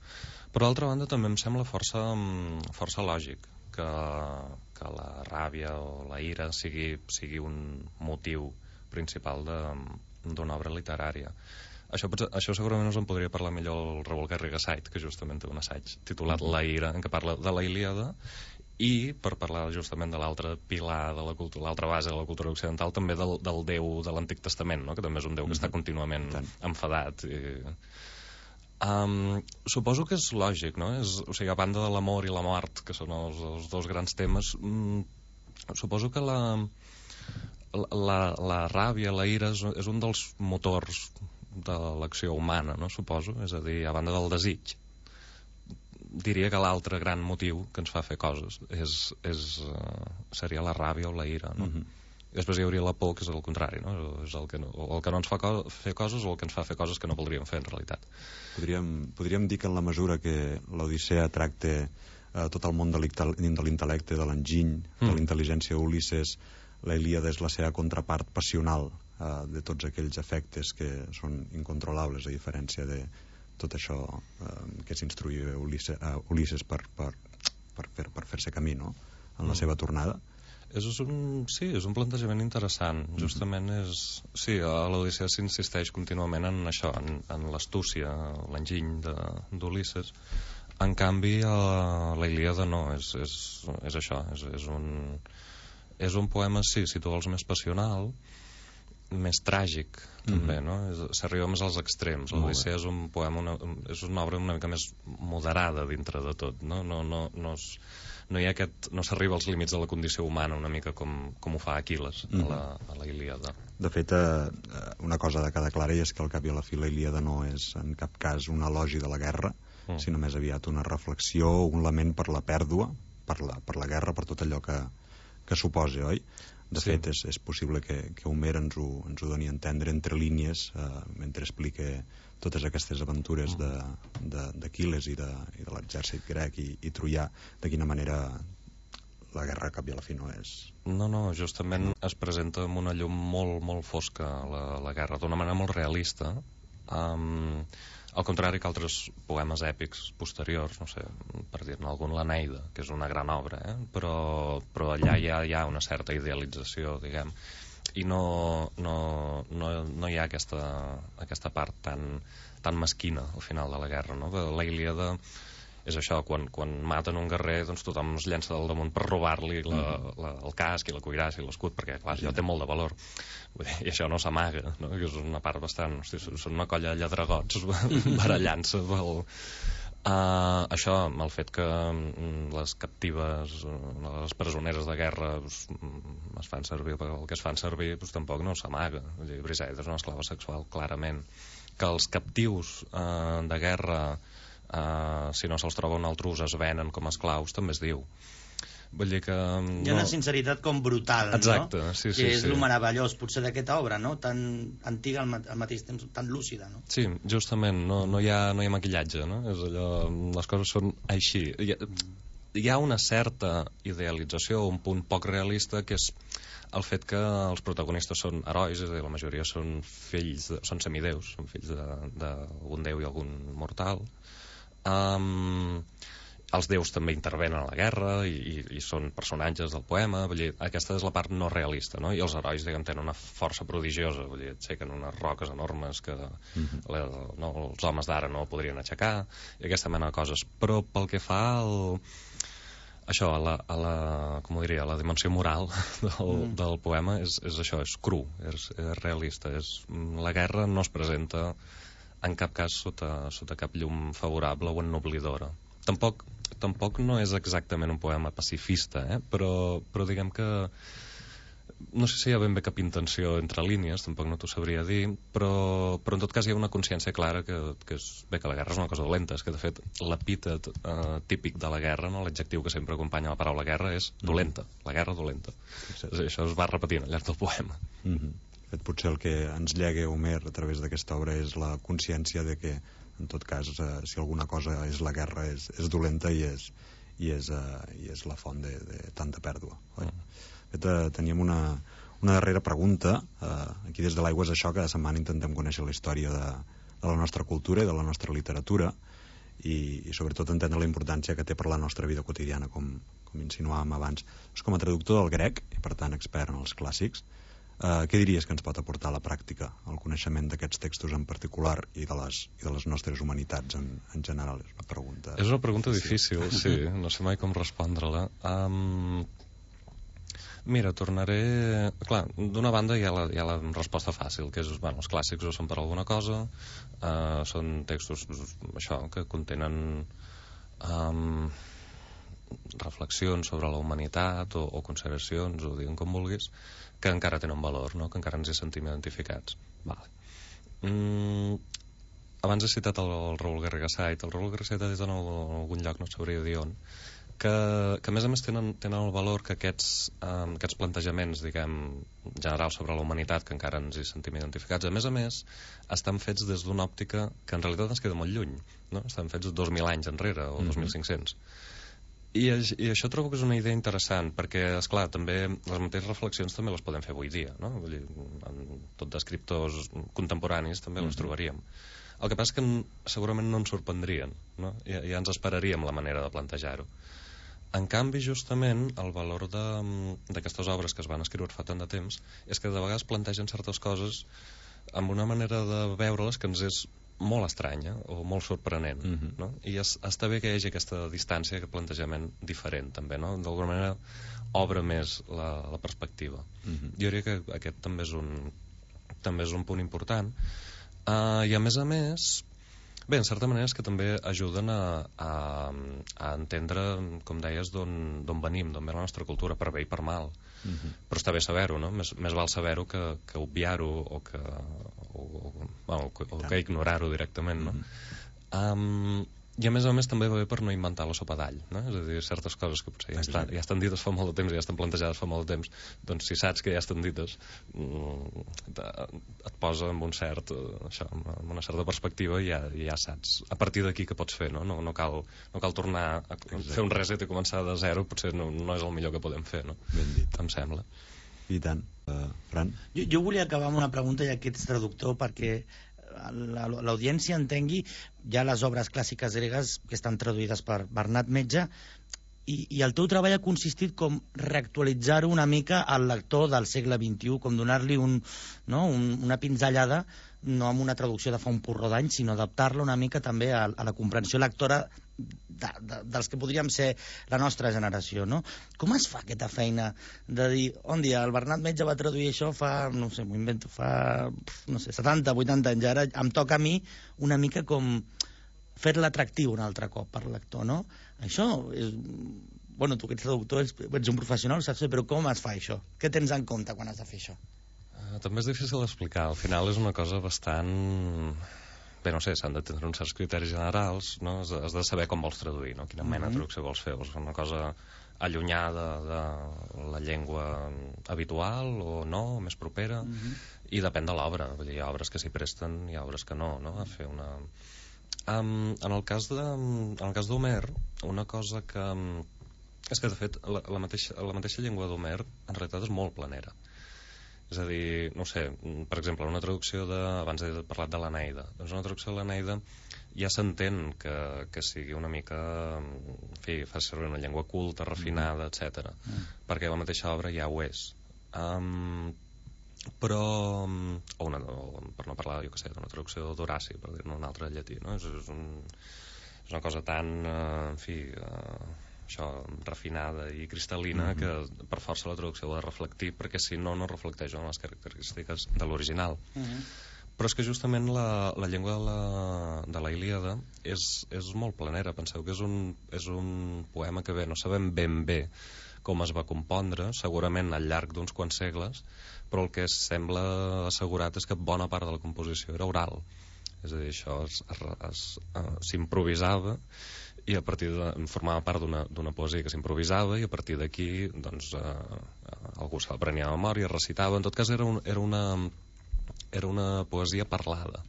Per d'altra banda, també em sembla força, força lògic que, que la ràbia o la ira sigui, sigui un motiu principal d'una obra literària. Això, això segurament us en podria parlar millor el Revolcar Rigasait, que justament té un assaig titulat La ira, en què parla de la Ilíada, i per parlar justament de l'altre pilar de la cultura, l'altra base de la cultura occidental, també del, del déu de l'Antic Testament, no? Que també és un déu que està contínuament enfadat. I... Um, suposo que és lògic, no? És, o sigui, a banda de l'amor i la mort, que són els, els dos grans temes, um, suposo que la, la, la ràbia, la ira, és, és un dels motors de l'acció humana, no? Suposo, és a dir, a banda del desig. Diria que l'altre gran motiu que ens fa fer coses és, és, uh, seria la ràbia o la ira, no? Mm-hmm. I després hi hauria la por, que és el contrari, no? És el que no, el que no ens fa co fer coses o el que ens fa fer coses que no voldríem fer en realitat. Podríem, podríem dir que en la mesura que l'Odissea tracta eh, tot el món de l'intel·lecte, de l'enginy, mm. de la intel·ligència d'Ulisses, la Ilíada és la seva contrapart passional eh, de tots aquells efectes que són incontrolables, a diferència de tot això eh, que s'instruïa Ulisses, uh, Ulisses per, per, per, fer, per fer-se camí, no? En la seva tornada. És un, sí, és un plantejament interessant. Mm-hmm. Justament és... Sí, a l'Odissea s'insisteix contínuament en això, en, en l'astúcia, l'enginy d'Ulisses. En canvi, a la Ilíada no, és, és, és això, és, és, un, és un poema, sí, si tu vols, més passional, més tràgic, també, mm-hmm. no? S'arriba més als extrems. L'Odissea és un poema, una, és una obra una mica més moderada dintre de tot, no? No, no, no, és, no hi ha aquest, no s'arriba als límits de la condició humana una mica com, com ho fa Aquil·les mm-hmm. a, la, a la Ilíada. De fet, eh, una cosa de cada clara és que al cap i a la fi la Ilíada no és en cap cas un elogi de la guerra, mm. sinó més aviat una reflexió, un lament per la pèrdua, per la, per la guerra, per tot allò que, que suposa, oi? De sí. fet, és, és possible que, que Homer ens ho, ens ho doni a entendre entre línies eh, mentre explica totes aquestes aventures d'Aquil·les i de, i de l'exèrcit grec i, i troià, de quina manera la guerra cap i a la fi no és... No, no, justament es presenta amb una llum molt, molt fosca la, la guerra, d'una manera molt realista, um, al contrari que altres poemes èpics posteriors, no sé, per dir-ne algun, l'Eneida, que és una gran obra, eh? però, però allà hi ha, hi ha una certa idealització, diguem, i no, no, no, no hi ha aquesta, aquesta part tan, tan mesquina al final de la guerra, no? La Ilíada és això, quan, quan maten un guerrer, doncs tothom es llença del damunt per robar-li la, la, el casc i la cuirassa i l'escut, perquè clar, això té molt de valor. Vull dir, i això no s'amaga, no? Que és una part bastant... Hosti, són una colla de lladregots barallant-se pel... Uh, això, el fet que les captives, les presoneres de guerra pues, es fan servir pel que es fan servir, pues, tampoc no s'amaga. Briseida és una esclava sexual, clarament. Que els captius uh, de guerra, uh, si no se'ls troba un altre ús, es venen com a esclaus, també es diu. Vull dir que... No... Hi ha una sinceritat com brutal, exacte, no? Sí, sí, que és sí. el meravellós, potser, d'aquesta obra, no? Tan antiga al, al mateix temps, tan lúcida, no? Sí, justament, no, no, hi ha, no hi ha maquillatge, no? És allò, les coses són així. Hi ha, hi ha una certa idealització, un punt poc realista, que és el fet que els protagonistes són herois, és a dir, la majoria són fills, de, són semideus, són fills d'un déu i algun mortal. Um, els déus també intervenen a la guerra i, i, i són personatges del poema, vull dir, aquesta és la part no realista, no? I els herois, diguem, tenen una força prodigiosa, vull dir, aixequen unes roques enormes que mm-hmm. la, no, els homes d'ara no podrien aixecar, i aquesta mena de coses. Però pel que fa al... això, a la, a la, com ho diria, a la dimensió moral del, mm. del poema és, és això, és cru, és, és realista, és, la guerra no es presenta en cap cas sota, sota cap llum favorable o ennoblidora. Tampoc, tampoc no és exactament un poema pacifista, eh? però, però diguem que no sé si hi ha ben bé cap intenció entre línies, tampoc no t'ho sabria dir, però, però en tot cas hi ha una consciència clara que, que és, bé, que la guerra és una cosa dolenta, és que de fet l'epítet eh, típic de la guerra, no? L'adjectiu que sempre acompanya la paraula guerra és dolenta, la guerra dolenta. Sí. Això es va repetint al llarg del poema. Mm-hmm. De fet, potser el que ens llega Homer a través d'aquesta obra és la consciència de que, en tot cas, eh, si alguna cosa és la guerra, és, és dolenta i és, i és, eh, i és la font de, de tanta pèrdua. Mm. De fet, eh, teníem una, una darrera pregunta. Eh, aquí des de l'Aigua és això, cada setmana intentem conèixer la història de, de la nostra cultura i de la nostra literatura i, i sobretot entendre la importància que té per la nostra vida quotidiana, com, com insinuàvem abans. És com a traductor del grec, i per tant expert en els clàssics, Uh, què diries que ens pot aportar a la pràctica el coneixement d'aquests textos en particular i de les, i de les nostres humanitats en, en general? És una pregunta... És una pregunta difícil, sí, no sé mai com respondre-la. Um, mira, tornaré... Clar, d'una banda hi ha, la, hi ha la resposta fàcil, que és, bueno, els clàssics ho són per alguna cosa, uh, són textos, això, que contenen... Um, reflexions sobre la humanitat o, o consideracions, o diguem com vulguis, que encara tenen valor, no? Que encara ens hi sentim identificats. Vale. Mm, abans he citat el, el Raül Garriga Sait. El Raül Garriga Sait ha dit en algun lloc, no sabria dir on, que, que a més a més tenen, tenen el valor que aquests, um, aquests plantejaments, diguem, generals sobre la humanitat, que encara ens hi sentim identificats, a més a més estan fets des d'una òptica que en realitat ens queda molt lluny, no? Estan fets dos mil anys enrere, o mm-hmm. dos mil cinc-cents. I, I això trobo que és una idea interessant, perquè, esclar, també les mateixes reflexions també les podem fer avui dia, no? Vull dir, en tot d'escriptors contemporanis també les trobaríem. El que passa és que segurament no ens sorprendrien, no? Ja, ja ens esperaríem la manera de plantejar-ho. En canvi, justament, el valor d'aquestes obres que es van escriure fa tant de temps és que de vegades plantegen certes coses amb una manera de veure-les que ens és molt estranya o molt sorprenent, mm-hmm. no? I es, està bé que hi hagi aquesta distància, aquest plantejament diferent també, no? D'alguna manera obre més la, la perspectiva. Mm-hmm. Jo diria que aquest també és un, també és un punt important. Uh, i a més a més, bé, en certa manera és que també ajuden a, a, a entendre, com deies, d'on venim, d'on ve la nostra cultura, per bé i per mal. Mm-hmm. Però està bé saber-ho, no? Més, més val saber-ho que, que obviar-ho o que, o, o, bueno, o que ignorar-ho directament, no? Mm-hmm. um, I a més a més també va bé per no inventar la sopa d'all, no? És a dir, certes coses que potser ja estan, ja estan dites fa molt de temps, ja estan plantejades fa molt de temps, doncs si saps que ja estan dites, et posa amb un cert, això, amb una certa perspectiva i ja, ja saps a partir d'aquí què pots fer, no? No, no, cal, no cal tornar a fer un reset i començar de zero, potser no, no és el millor que podem fer, no? Ben dit. Em sembla. I tant. Uh, Fran? Jo, jo volia acabar amb una pregunta, ja que ets traductor, perquè l'audiència entengui ja les obres clàssiques gregues que estan traduïdes per Bernat Metge, i, i el teu treball ha consistit com reactualitzar-ho una mica al lector del segle vint-i-u, com donar-li un, no, un, una pinzellada, no amb una traducció de fa un porró d'anys, sinó adaptar-la una mica també a, a la comprensió lectora de, de, dels que podríem ser la nostra generació, no? Com es fa aquesta feina de dir, on dia, el Bernat Metge va traduir això fa, no sé, m'ho invento, fa, no sé, setanta, vuitanta anys, ara em toca a mi una mica com fer-la atractiu un altre cop per lector, no? Això és... Bueno, tu que ets traductor, ets, ets un professional, saps? Però com es fa això? Què tens en compte quan has de fer això? Uh, també és difícil d'explicar. Al final és una cosa bastant... Bé, no sé, s'han de tenir uns certs criteris generals, no? Has de, has de saber com vols traduir, no? Quina mena de traducció vols fer. Vols fer una cosa allunyada de la llengua habitual o no, o més propera? Mm-hmm. I depèn de l'obra. Vull dir, hi ha obres que s'hi presten, hi ha obres que no, no? A fer una... Um, en el cas de, en el cas d'Homer, una cosa que, És que, de fet, la, la, mateixa, la mateixa llengua d'Homer en realitat és molt planera. És a dir, no sé, per exemple, una traducció de... Abans he parlat de l'Eneida. Doncs una traducció de l'Eneida ja s'entén que, que sigui una mica... En fi, fa servir una llengua culta, refinada, etcètera. Mm. Perquè la mateixa obra ja ho és. Um, però... O una, o, per no parlar, jo què sé, d'una traducció d'Horaci, per dir-ne un altre llatí, no? És, és, un, és una cosa tan... Uh, en fi... Uh, això, refinada i cristal·lina, mm-hmm. que per força la traducció ho ha de reflectir, perquè si no, no reflecteix en les característiques de l'original. Mm-hmm. Però és que justament la, la llengua de la, de la Ilíada és, és molt planera. Penseu que és un, és un poema que bé, no sabem ben bé com es va compondre, segurament al llarg d'uns quants segles, però el que sembla assegurat és que bona part de la composició era oral. És a dir, això s'improvisava i a partir de, formava part d'una poesia que s'improvisava i a partir d'aquí doncs, eh, algú se l'aprenia a memòria, recitava. En tot cas era, un, era, una, era una poesia parlada,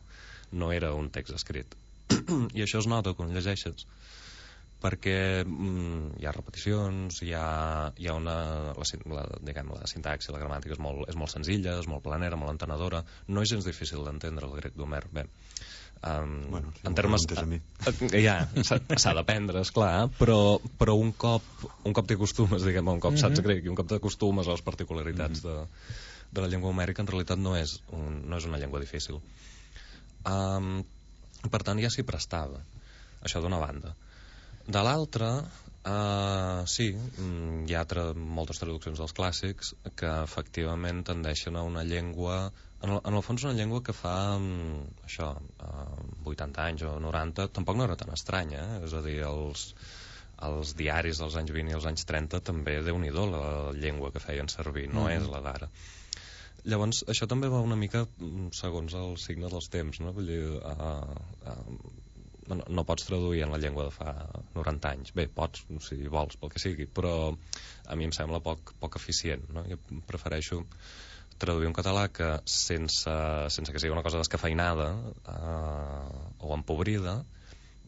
no era un text escrit. I això es nota quan llegeixes, perquè mm, hi ha repeticions, hi ha, hi ha una... La, la, diguem, la sintaxi, la gramàtica és molt, és molt senzilla, és molt planera, molt entenedora. No és gens difícil d'entendre el grec d'Homer. Bé, Um, bueno, si en termes ja, s'ha d'aprendre, esclar, però, però un cop un cop t'acostumes, diguem, un cop saps grec i un cop t'acostumes a les particularitats de, de la llengua homèrica, en realitat no és, un, no és una llengua difícil. Um, per tant, ja s'hi prestava, això d'una banda. De l'altra, uh, sí, hi ha tra moltes traduccions dels clàssics que efectivament tendeixen a una llengua... En el, en el fons una llengua que fa um, això, uh, vuitanta anys o noranta tampoc no era tan estranya, eh? És a dir, els, els diaris dels anys vint i els anys trenta també, Déu-n'hi-do la llengua que feien servir, no mm. és la d'ara. Llavors això també va una mica segons el signe dels temps, no? Vull dir, uh, uh, no, no pots traduir en la llengua de fa noranta anys. Bé, pots, si vols, pel que sigui, però a mi em sembla poc, poc eficient, no? Jo prefereixo traduir un català que sense, sense que sigui una cosa descafeinada eh, o empobrida,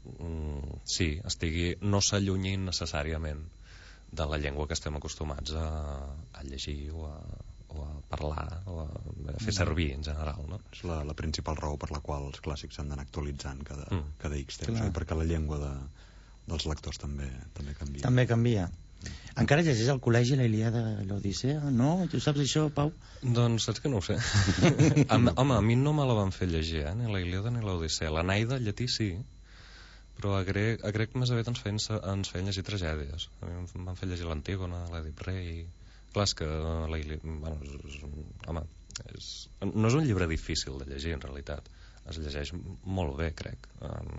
mm, sí, estigui, no s'allunyi necessàriament de la llengua que estem acostumats a, a llegir o a, o a parlar o a, a fer servir en general, no? És la, la principal raó per la qual els clàssics s'han d'anar actualitzant cada, mm. cada X temps, eh? Perquè la llengua de, dels lectors també, també canvia. També canvia. Encara llegeix al col·legi la Ilíada i l'Odissea? No? Tu saps això, Pau? Doncs saps que no ho sé. a, home, a mi no me la van fer llegir, eh? Ni la Ilíada ni l'Odissea. L'Eneida, llatí, sí, però a grec, a grec més aviat ens feien, ens feien llegir tragèdies. A mi em van fer llegir l'Antígona, l'Èdip Rei... Clar, és que la Ilíada... Bueno, és, és, home, és, no és un llibre difícil de llegir, en realitat. Es llegeix molt bé, crec. Um,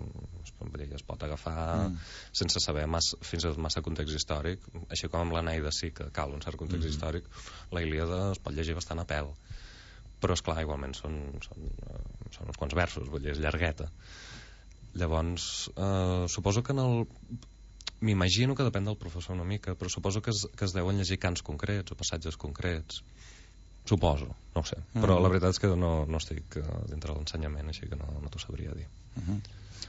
es pot agafar mm. sense saber massa, fins a massa context històric, així com amb l'Eneida sí que cal un cert context mm. històric. La Ilíada es pot llegir bastant a pèl, però esclar, igualment són, són, són uns quants versos, vull dir, és llargueta. Llavors eh, suposo que en el... m'imagino que depèn del professor una mica, però suposo que es, que es deuen llegir cants concrets o passatges concrets. Suposo, no ho sé. Mm. Però la veritat és que no, no estic dintre de l'ensenyament, així que no, no t'ho sabria dir. Uh -huh.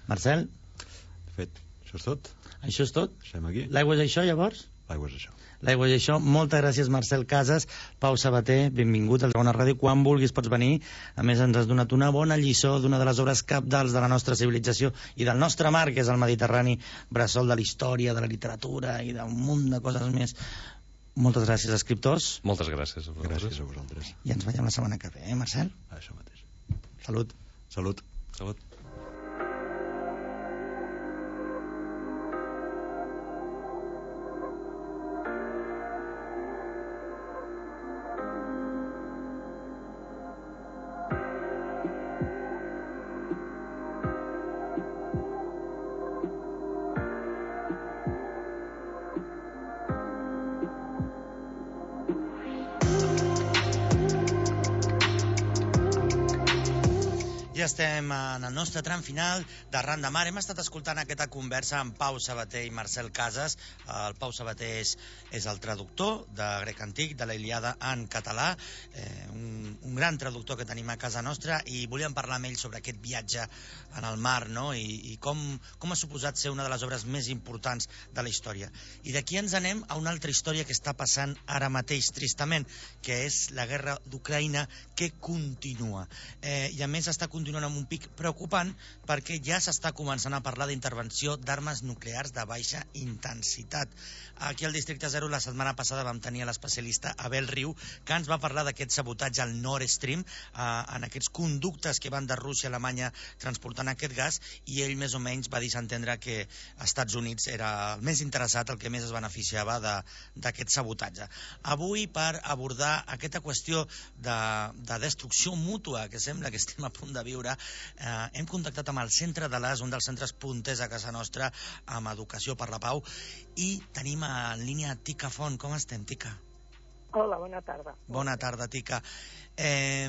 Marcel? De fet, això és tot. Això és tot? Deixem aquí. L'aigua és això, llavors? L'aigua és això. L'aigua és això. Moltes gràcies, Marcel Casas. Pau Sabater, benvingut al Segona Ràdio. Quan vulguis pots venir. A més, ens has donat una bona lliçó d'una de les obres cabdals de la nostra civilització i del nostre mar, que és el Mediterrani, bressol de la història, de la literatura i d'un munt de coses més. Moltes gràcies, escriptors. Moltes gràcies a vosaltres. Gràcies a vosaltres. I ens veiem la setmana que ve, eh, Marcel? Això mateix. Salut. Salut. Salut. ja estem en el nostre tram final d'Arran de Mar. Hem estat escoltant aquesta conversa amb Pau Sabater i Marcel Casas. El Pau Sabater és, és el traductor de grec antic, de la Ilíada en català, eh, un, un gran traductor que tenim a casa nostra, i volíem parlar amb ell sobre aquest viatge en el mar, no? I, i com, com ha suposat ser una de les obres més importants de la història. I d'aquí ens anem a una altra història que està passant ara mateix, tristament, que és la guerra d'Ucraïna, que continua. Eh, I a més està continuant amb un pic preocupant, perquè ja s'està començant a parlar d'intervenció d'armes nuclears de baixa intensitat. Aquí al Districte Zero la setmana passada vam tenir l'especialista Abel Riu, que ens va parlar d'aquest sabotatge al Nord Stream, eh, en aquests conductes que van de Rússia a Alemanya transportant aquest gas, i ell més o menys va disentendre que Estats Units era el més interessat, el que més es beneficiava d'aquest sabotatge. Avui, per abordar aquesta qüestió de, de destrucció mútua que sembla que estem a punt de viure, eh, hem contactat amb el Centre de l'As, un dels centres punters a casa nostra amb Educació per la Pau, i tenim en línia Tica Font. Com estem, Tica? Hola, bona tarda. Bona tarda, Tica. Eh,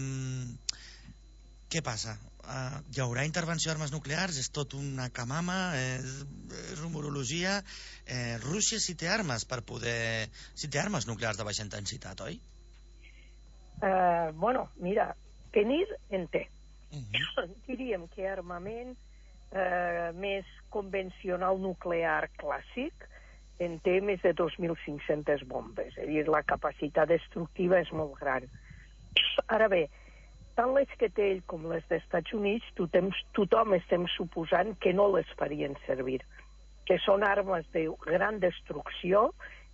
què passa? Uh, hi haurà intervenció d'armes nuclears? És tot una camama? És, és rumorologia? Eh, Rússia sí té armes per poder... sí té armes nuclears de baixa intensitat, oi? Uh, bueno, mira, tenir en té. Uh-huh. Diríem que armament eh, més convencional nuclear clàssic en té més de dos mil cinc-centes bombes. És a dir, la capacitat destructiva és molt gran. Ara bé, tant les que té ell com les dels Estats Units, tothom, tothom estem suposant que no les farien servir, que són armes de gran destrucció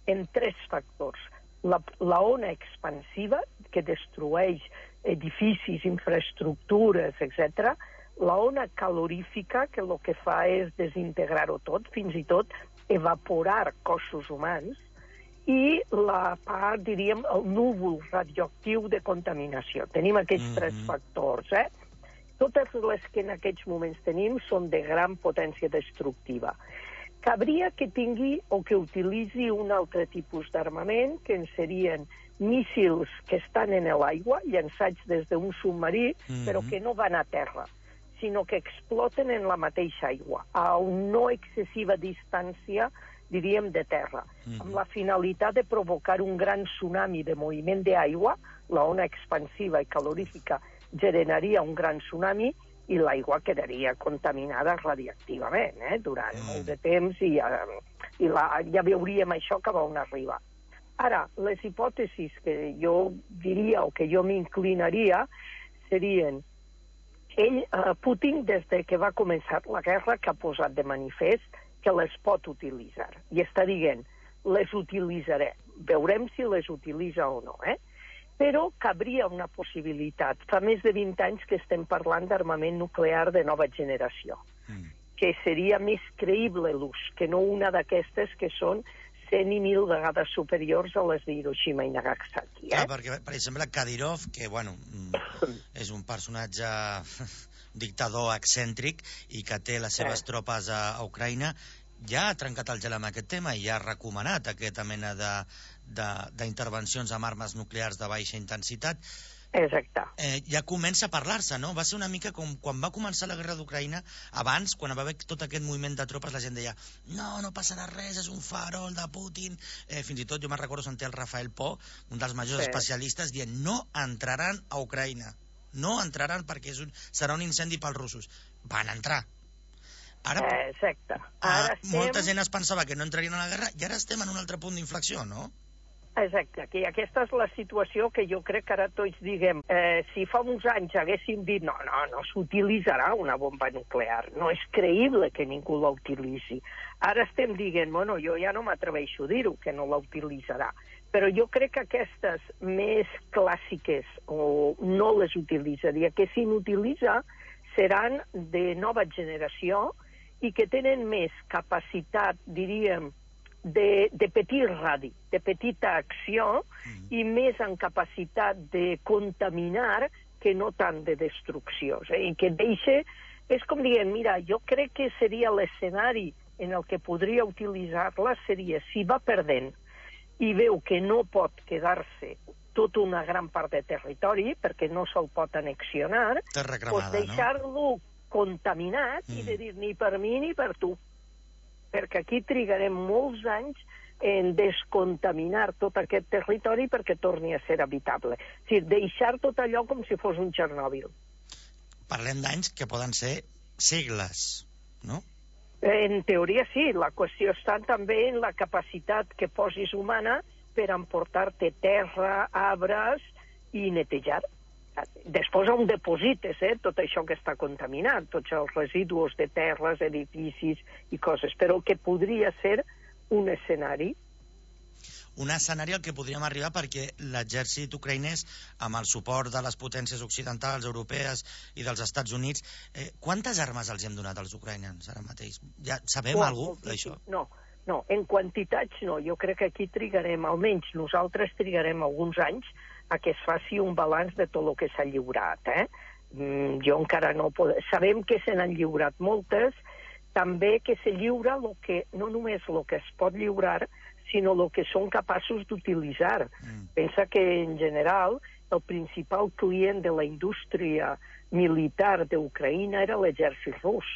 en tres factors. La, la ona expansiva, que destrueix edificis, infraestructures, etcètera, la ona calorífica, que el que fa és desintegrar-ho tot, fins i tot evaporar cossos humans, i la part, diríem, el núvol radioactiu de contaminació. Tenim aquests mm-hmm. tres factors, eh? Totes les que en aquests moments tenim són de gran potència destructiva. Cabria que tingui o que utilitzi un altre tipus d'armament, que en serien míssils que estan en l'aigua, llançats des d'un submarí, mm-hmm. però que no van a terra, sinó que exploten en la mateixa aigua, a una no excessiva distància, diríem, de terra, mm-hmm. amb la finalitat de provocar un gran tsunami de moviment d'aigua. La ona expansiva i calorífica generaria un gran tsunami, i l'aigua quedaria contaminada radiactivament, eh, durant mm. molt de temps, i, uh, i la, ja veuríem això cap a on arriba. Ara, les hipòtesis que jo diria o que jo m'inclinaria serien ell, uh, Putin, des de que va començar la guerra, que ha posat de manifest que les pot utilitzar. I està dient, les utilitzaré. Veurem si les utilitza o no, eh? Però cabria una possibilitat. Fa més de vint anys que estem parlant d'armament nuclear de nova generació, mm. que seria més creïble l'ús, que no una d'aquestes que són cent i mil vegades superiors a les d'Hiroshima i Nagasaki. Eh? Ah, perquè, per exemple, Kadyrov, que, bueno, és un personatge dictador excèntric i que té les seves eh. tropes a, a Ucraïna, ja ha trencat el gel amb aquest tema i ja ha recomanat aquesta mena de d'intervencions amb armes nuclears de baixa intensitat. Exacte. Eh, ja comença a parlar-se, no? Va ser una mica com quan va començar la guerra d'Ucraïna, abans, quan va haver tot aquest moviment de tropes, la gent deia, no, no passarà res, és un farol de Putin. Eh, fins i tot jo me'n recordo sentir el Rafael Po, un dels majors sí. especialistes, dient, no entraran a Ucraïna. No entraran perquè és un, serà un incendi pels russos. Van entrar. Ara, Exacte. Ara estem... Molta gent es pensava que no entrarien a la guerra i ara estem en un altre punt d'inflexió, no? Exacte, que aquesta és la situació que jo crec que ara tots diguem, eh, si fa uns anys haguéssim dit no, no, no s'utilitzarà una bomba nuclear, no és creïble que ningú la utilitzi. Ara estem dient, bueno, jo ja no m'atreveixo a dir-ho, que no la utilitzarà, però jo crec que aquestes més clàssiques o no les utilitzaria, que si n'utilitza seran de nova generació i que tenen més capacitat, diríem, de, de petit radi, de petita acció, mm. i més en capacitat de contaminar que no tant de destrucció. Eh? I que deixe, és com dient, mira, jo crec que seria l'escenari en el que podria utilitzar-la, seria si va perdent i veu que no pot quedar-se tota una gran part de territori, perquè no se'l pot annexionar, doncs deixar-lo contaminat mm. i de dir ni per mi ni per tu. Perquè aquí trigarem molts anys en descontaminar tot aquest territori perquè torni a ser habitable. És a dir, deixar tot allò com si fos un Txernòbil. Parlem d'anys que poden ser segles, no? En teoria sí, la qüestió està també en la capacitat que posis humana per emportar-te terra, arbres i netejar. Després on deposites eh, tot això que està contaminat, tots els residus de terres, edificis i coses, però que podria ser un escenari. Un escenari al que podríem arribar perquè l'exèrcit ucraïnès, amb el suport de les potències occidentals, europees i dels Estats Units, eh, quantes armes els hem donat als ucraïnens ara mateix? Ja sabem oh, alguna cosa d'això? No, no, en quantitats no. Jo crec que aquí trigarem, almenys nosaltres trigarem alguns anys a que es faci un balanç de tot el que s'ha lliurat. Eh? Mm, jo encara no puc... Sabem que se n'han lliurat moltes, també que se lliura lo que, no només el que es pot lliurar, sinó el que són capaços d'utilitzar. Mm. Pensa que, en general, el principal client de la indústria militar d'Ucraïna era l'exèrcit rus.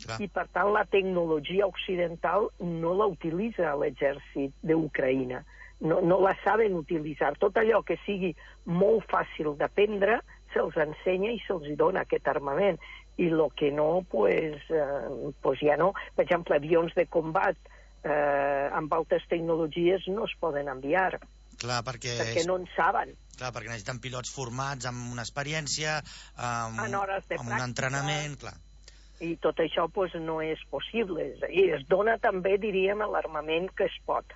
Clar. I, per tant, la tecnologia occidental no la utilitza l'exèrcit d'Ucraïna. No, no la saben utilitzar. Tot allò que sigui molt fàcil d'aprendre se'ls ensenya i se'ls dona aquest armament. I el que no, pues, eh, pues ja no. Per exemple, avions de combat eh, amb altes tecnologies no es poden enviar. Clar, perquè... Perquè no en saben. Clar, perquè necessiten pilots formats amb una experiència, amb, en hores de amb pràctica, un entrenament, clar. I tot això pues, no és possible. I es dona també, diríem, l'armament que es pot.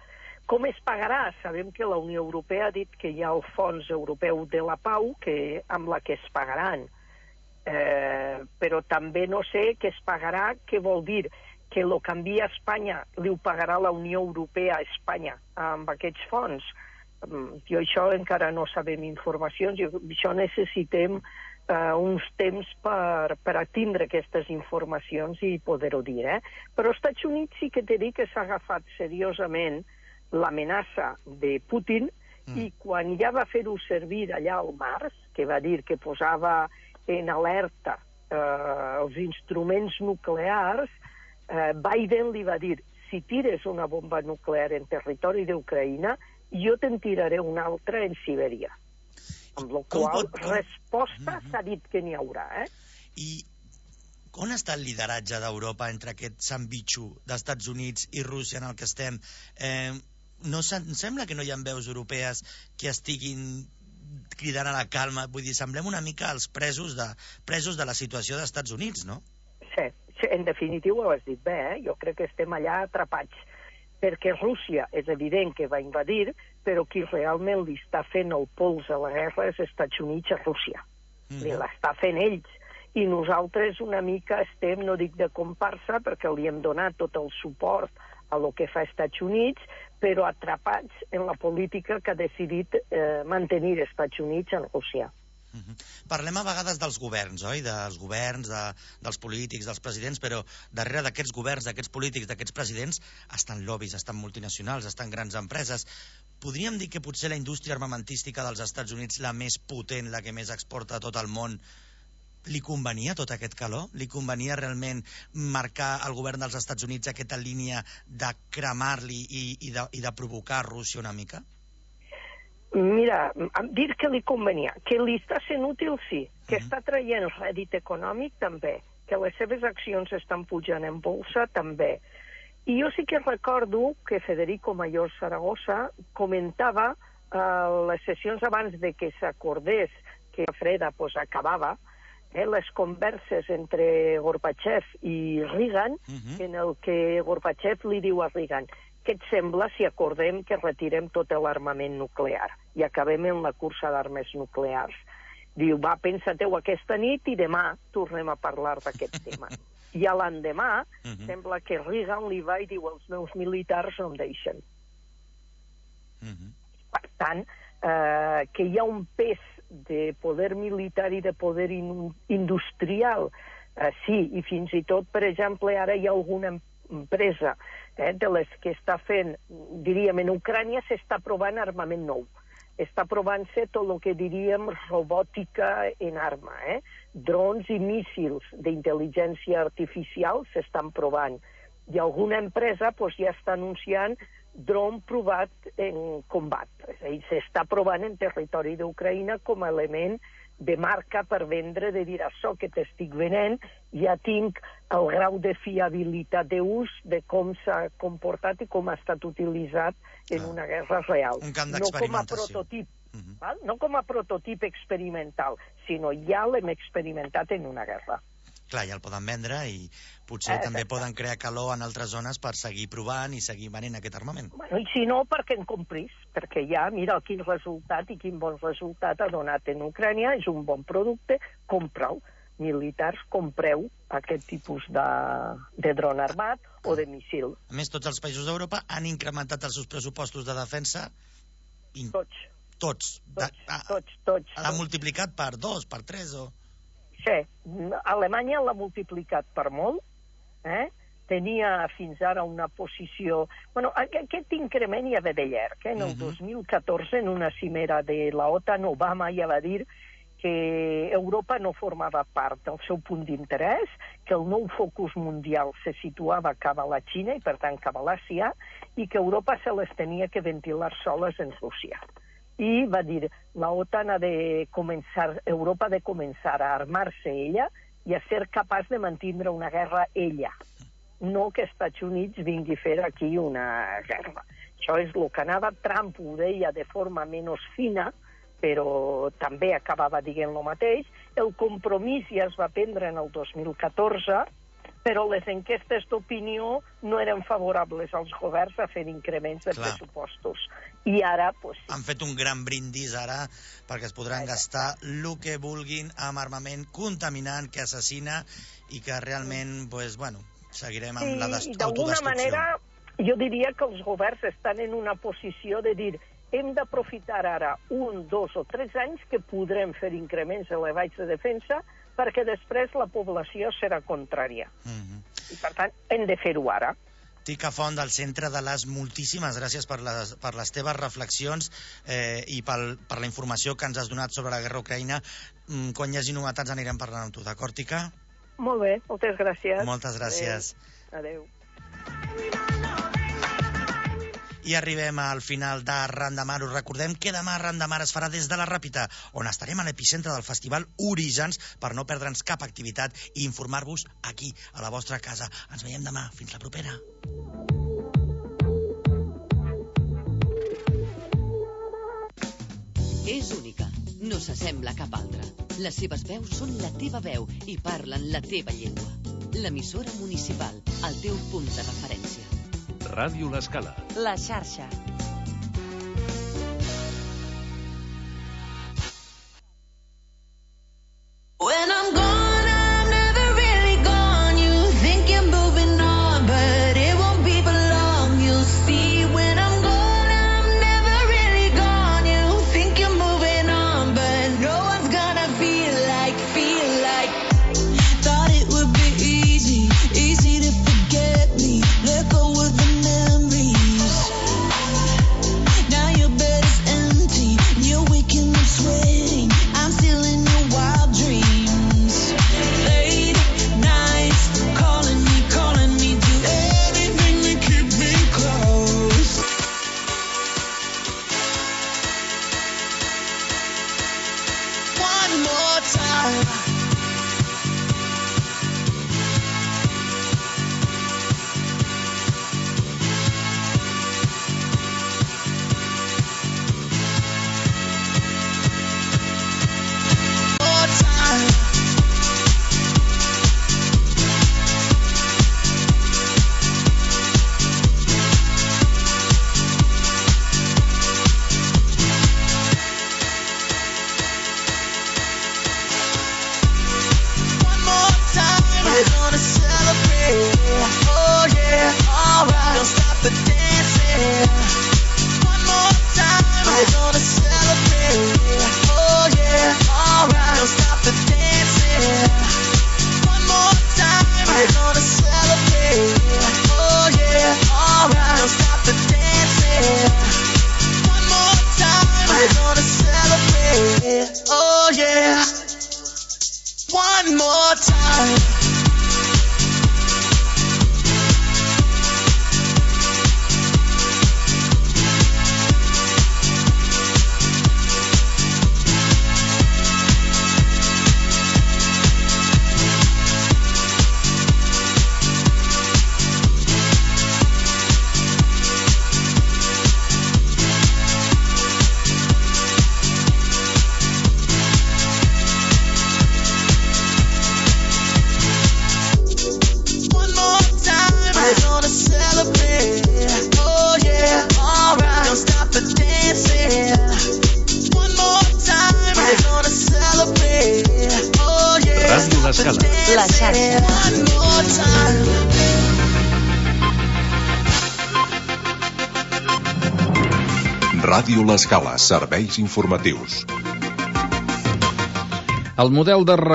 Com es pagarà? Sabem que la Unió Europea ha dit que hi ha el Fons Europeu de la Pau que, amb la que es pagaran. Eh, però també no sé què es pagarà, què vol dir que el que envia a Espanya li ho pagarà la Unió Europea a Espanya amb aquests fons. Jo això encara no sabem informacions, jo, això necessitem eh, uns temps per, per atindre aquestes informacions i poder-ho dir. Eh? Però als Estats Units sí que t'he dit que s'ha agafat seriosament l'amenaça de Putin mm. i quan ja va fer-ho servir allà al març, que va dir que posava en alerta eh, els instruments nuclears, eh, Biden li va dir, si tires una bomba nuclear en territori d'Ucraïna, jo te'n tiraré una altra en Sibèria. Amb la qual pot... resposta mm-hmm. s'ha dit que n'hi haurà. Eh? I on està el lideratge d'Europa entre aquest sandvitxo d'Estats Units i Rússia en el que estem? Eh, no sembla que no hi ha veus europees que estiguin cridant a la calma? Vull dir, semblem una mica els presos de, presos de la situació d'Estats Units, no? Sí, sí, en definitiu ho has dit bé, eh? Jo crec que estem allà atrapats, perquè Rússia és evident que va invadir, però qui realment li està fent el pols a la guerra és Estats Units a Rússia. Mm. Li l'està fent ells. I nosaltres una mica estem, no dic de comparsa, perquè li hem donat tot el suport a lo que fa Estats Units, però atrapats en la política que ha decidit eh, mantenir Estats Units en Rússia. Uh-huh. Parlem a vegades dels governs, oi? Dels governs, de, dels polítics, dels presidents, però darrere d'aquests governs, d'aquests polítics, d'aquests presidents, estan lobbies, estan multinacionals, estan grans empreses. Podríem dir que potser la indústria armamentística dels Estats Units, la més potent, la que més exporta a tot el món, li convenia tot aquest calor? Li convenia realment marcar al govern dels Estats Units aquesta línia de cremar-li i, i, de, i de provocar a Rússia una mica? Mira, dir que li convenia, que li està sent útil, sí, que uh-huh. està traient rèdit econòmic, també, que les seves accions estan pujant en bolsa, també. I jo sí que recordo que Federico Mayor Zaragoza comentava eh, les sessions abans de que s'acordés que la freda pues, acabava, eh, les converses entre Gorbachev i Reagan, uh-huh. en el que Gorbachev li diu a Reagan: què et sembla si acordem que retirem tot l'armament nuclear i acabem en la cursa d'armes nuclears? Diu, va, pensa-teu aquesta nit i demà tornem a parlar d'aquest tema. I a l'endemà uh-huh. sembla que Reagan li va i diu, els meus militars no em deixen. Uh-huh. Per tant, eh, que hi ha un pes de poder militar i de poder in industrial, eh, sí, i fins i tot, per exemple, ara hi ha alguna empresa eh, de les que està fent, diríem, en Ucrània s'està provant armament nou. està provant-se tot el que diríem robòtica en arma, eh? Drons i míssils d'intel·ligència artificial s'estan provant. I alguna empresa pues, ja està anunciant dron provat en combat. És a dir, s'està provant en territori d'Ucraïna com a element de marca per vendre, de dir això que t'estic venent, ja tinc el grau de fiabilitat d'ús de com s'ha comportat i com ha estat utilitzat en una guerra real. Un camp no com a d'experimentació. prototip, uh-huh. val? No com a prototip experimental, sinó ja l'hem experimentat en una guerra. Clar, ja el poden vendre i potser Eh, també poden crear calor en altres zones per seguir provant i seguir venent aquest armament. Bueno, i si no, perquè en comprís, perquè ja, mira quin resultat i quin bon resultat ha donat en Ucrània, és un bon producte, compreu. Militars, compreu aquest tipus de, de dron armat o de missil. A més, tots els països d'Europa han incrementat els seus pressupostos de defensa. In... Tots. Tots. Tots, de... ah, tots, tots. L'ha multiplicat per dos, per tres o... Sí, Alemanya l'ha multiplicat per molt, eh? Tenia fins ara una posició... Bueno, aquest increment ja ve de llarg, eh? En el dos mil catorze, en una cimera de la OTAN, Obama ja va dir que Europa no formava part del seu punt d'interès, que el nou focus mundial se situava cap a la Xina i, per tant, cap a l'Àsia, i que Europa se les tenia que ventilar soles en Rússia. I va dir, la OTAN ha de començar, Europa ha de començar a armar-se ella i a ser capaç de mantindre una guerra ella. No que Estats Units vingui a fer aquí una guerra. Això és el que anava. Trump ho deia de forma menys fina, però també acabava dient el mateix. El compromís ja es va prendre en el dos mil catorze, però les enquestes d'opinió no eren favorables als governs a fer increments de Clar. pressupostos. I ara, pues, sí. Han fet un gran brindis ara perquè es podran gastar el que vulguin amb armament contaminant que assassina i que realment, pues, bueno, seguirem amb Sí, la i des- d'alguna autodestrucció. manera jo diria que els governs estan en una posició de dir hem d'aprofitar ara un, dos o tres anys que podrem fer increments elevats de defensa perquè després la població serà contrària. Mhm. I per tant hem de fer-ho ara. Tica Font, del Centre de les, moltíssimes gràcies per les, per les teves reflexions eh, i pel, per la informació que ens has donat sobre la guerra a Ucraïna. Mm, quan hi hagi novetats anirem parlant amb tu, d'acord, Tica? Molt bé, moltes gràcies. Moltes gràcies. Adéu. I arribem al final d'Arran de Mar. Us recordem que demà Arran de Mar es farà des de la Ràpita, on estarem a l'epicentre del festival Orígens per no perdre'ns cap activitat i informar-vos aquí, a la vostra casa. Ens veiem demà. Fins la propera. És única, no s'assembla a cap altra. Les seves veus són la teva veu i parlen la teva llengua. L'emissora municipal, el teu punt de referència. Ràdio L'Escala. La xarxa. When I'm gone, I'm never really gone. You think you're moving on, but it won't be for long. You'll see when I'm gone, I'm never really gone. You think you're moving on, but no one's gonna feel like, feel like. Thought it would be easy, easy to forget me. Let go of the memories. Now your bed is empty, you're waking up sweating. I'm still in your wild dreams. Late nights, calling me, calling me, do everything to keep me close. One more time. More time. One more time, we're gonna celebrate. Oh yeah, alright. Don't stop the dancing. One more time, we're gonna celebrate. Oh yeah, alright. Don't stop the dancing. One more time, we're gonna celebrate. Oh yeah, alright. Don't stop the dancing. One more time, we're gonna yeah. One more time. Ràdio L'Escala. La xarxa. Ràdio L'Escala, serveis informatius. El model de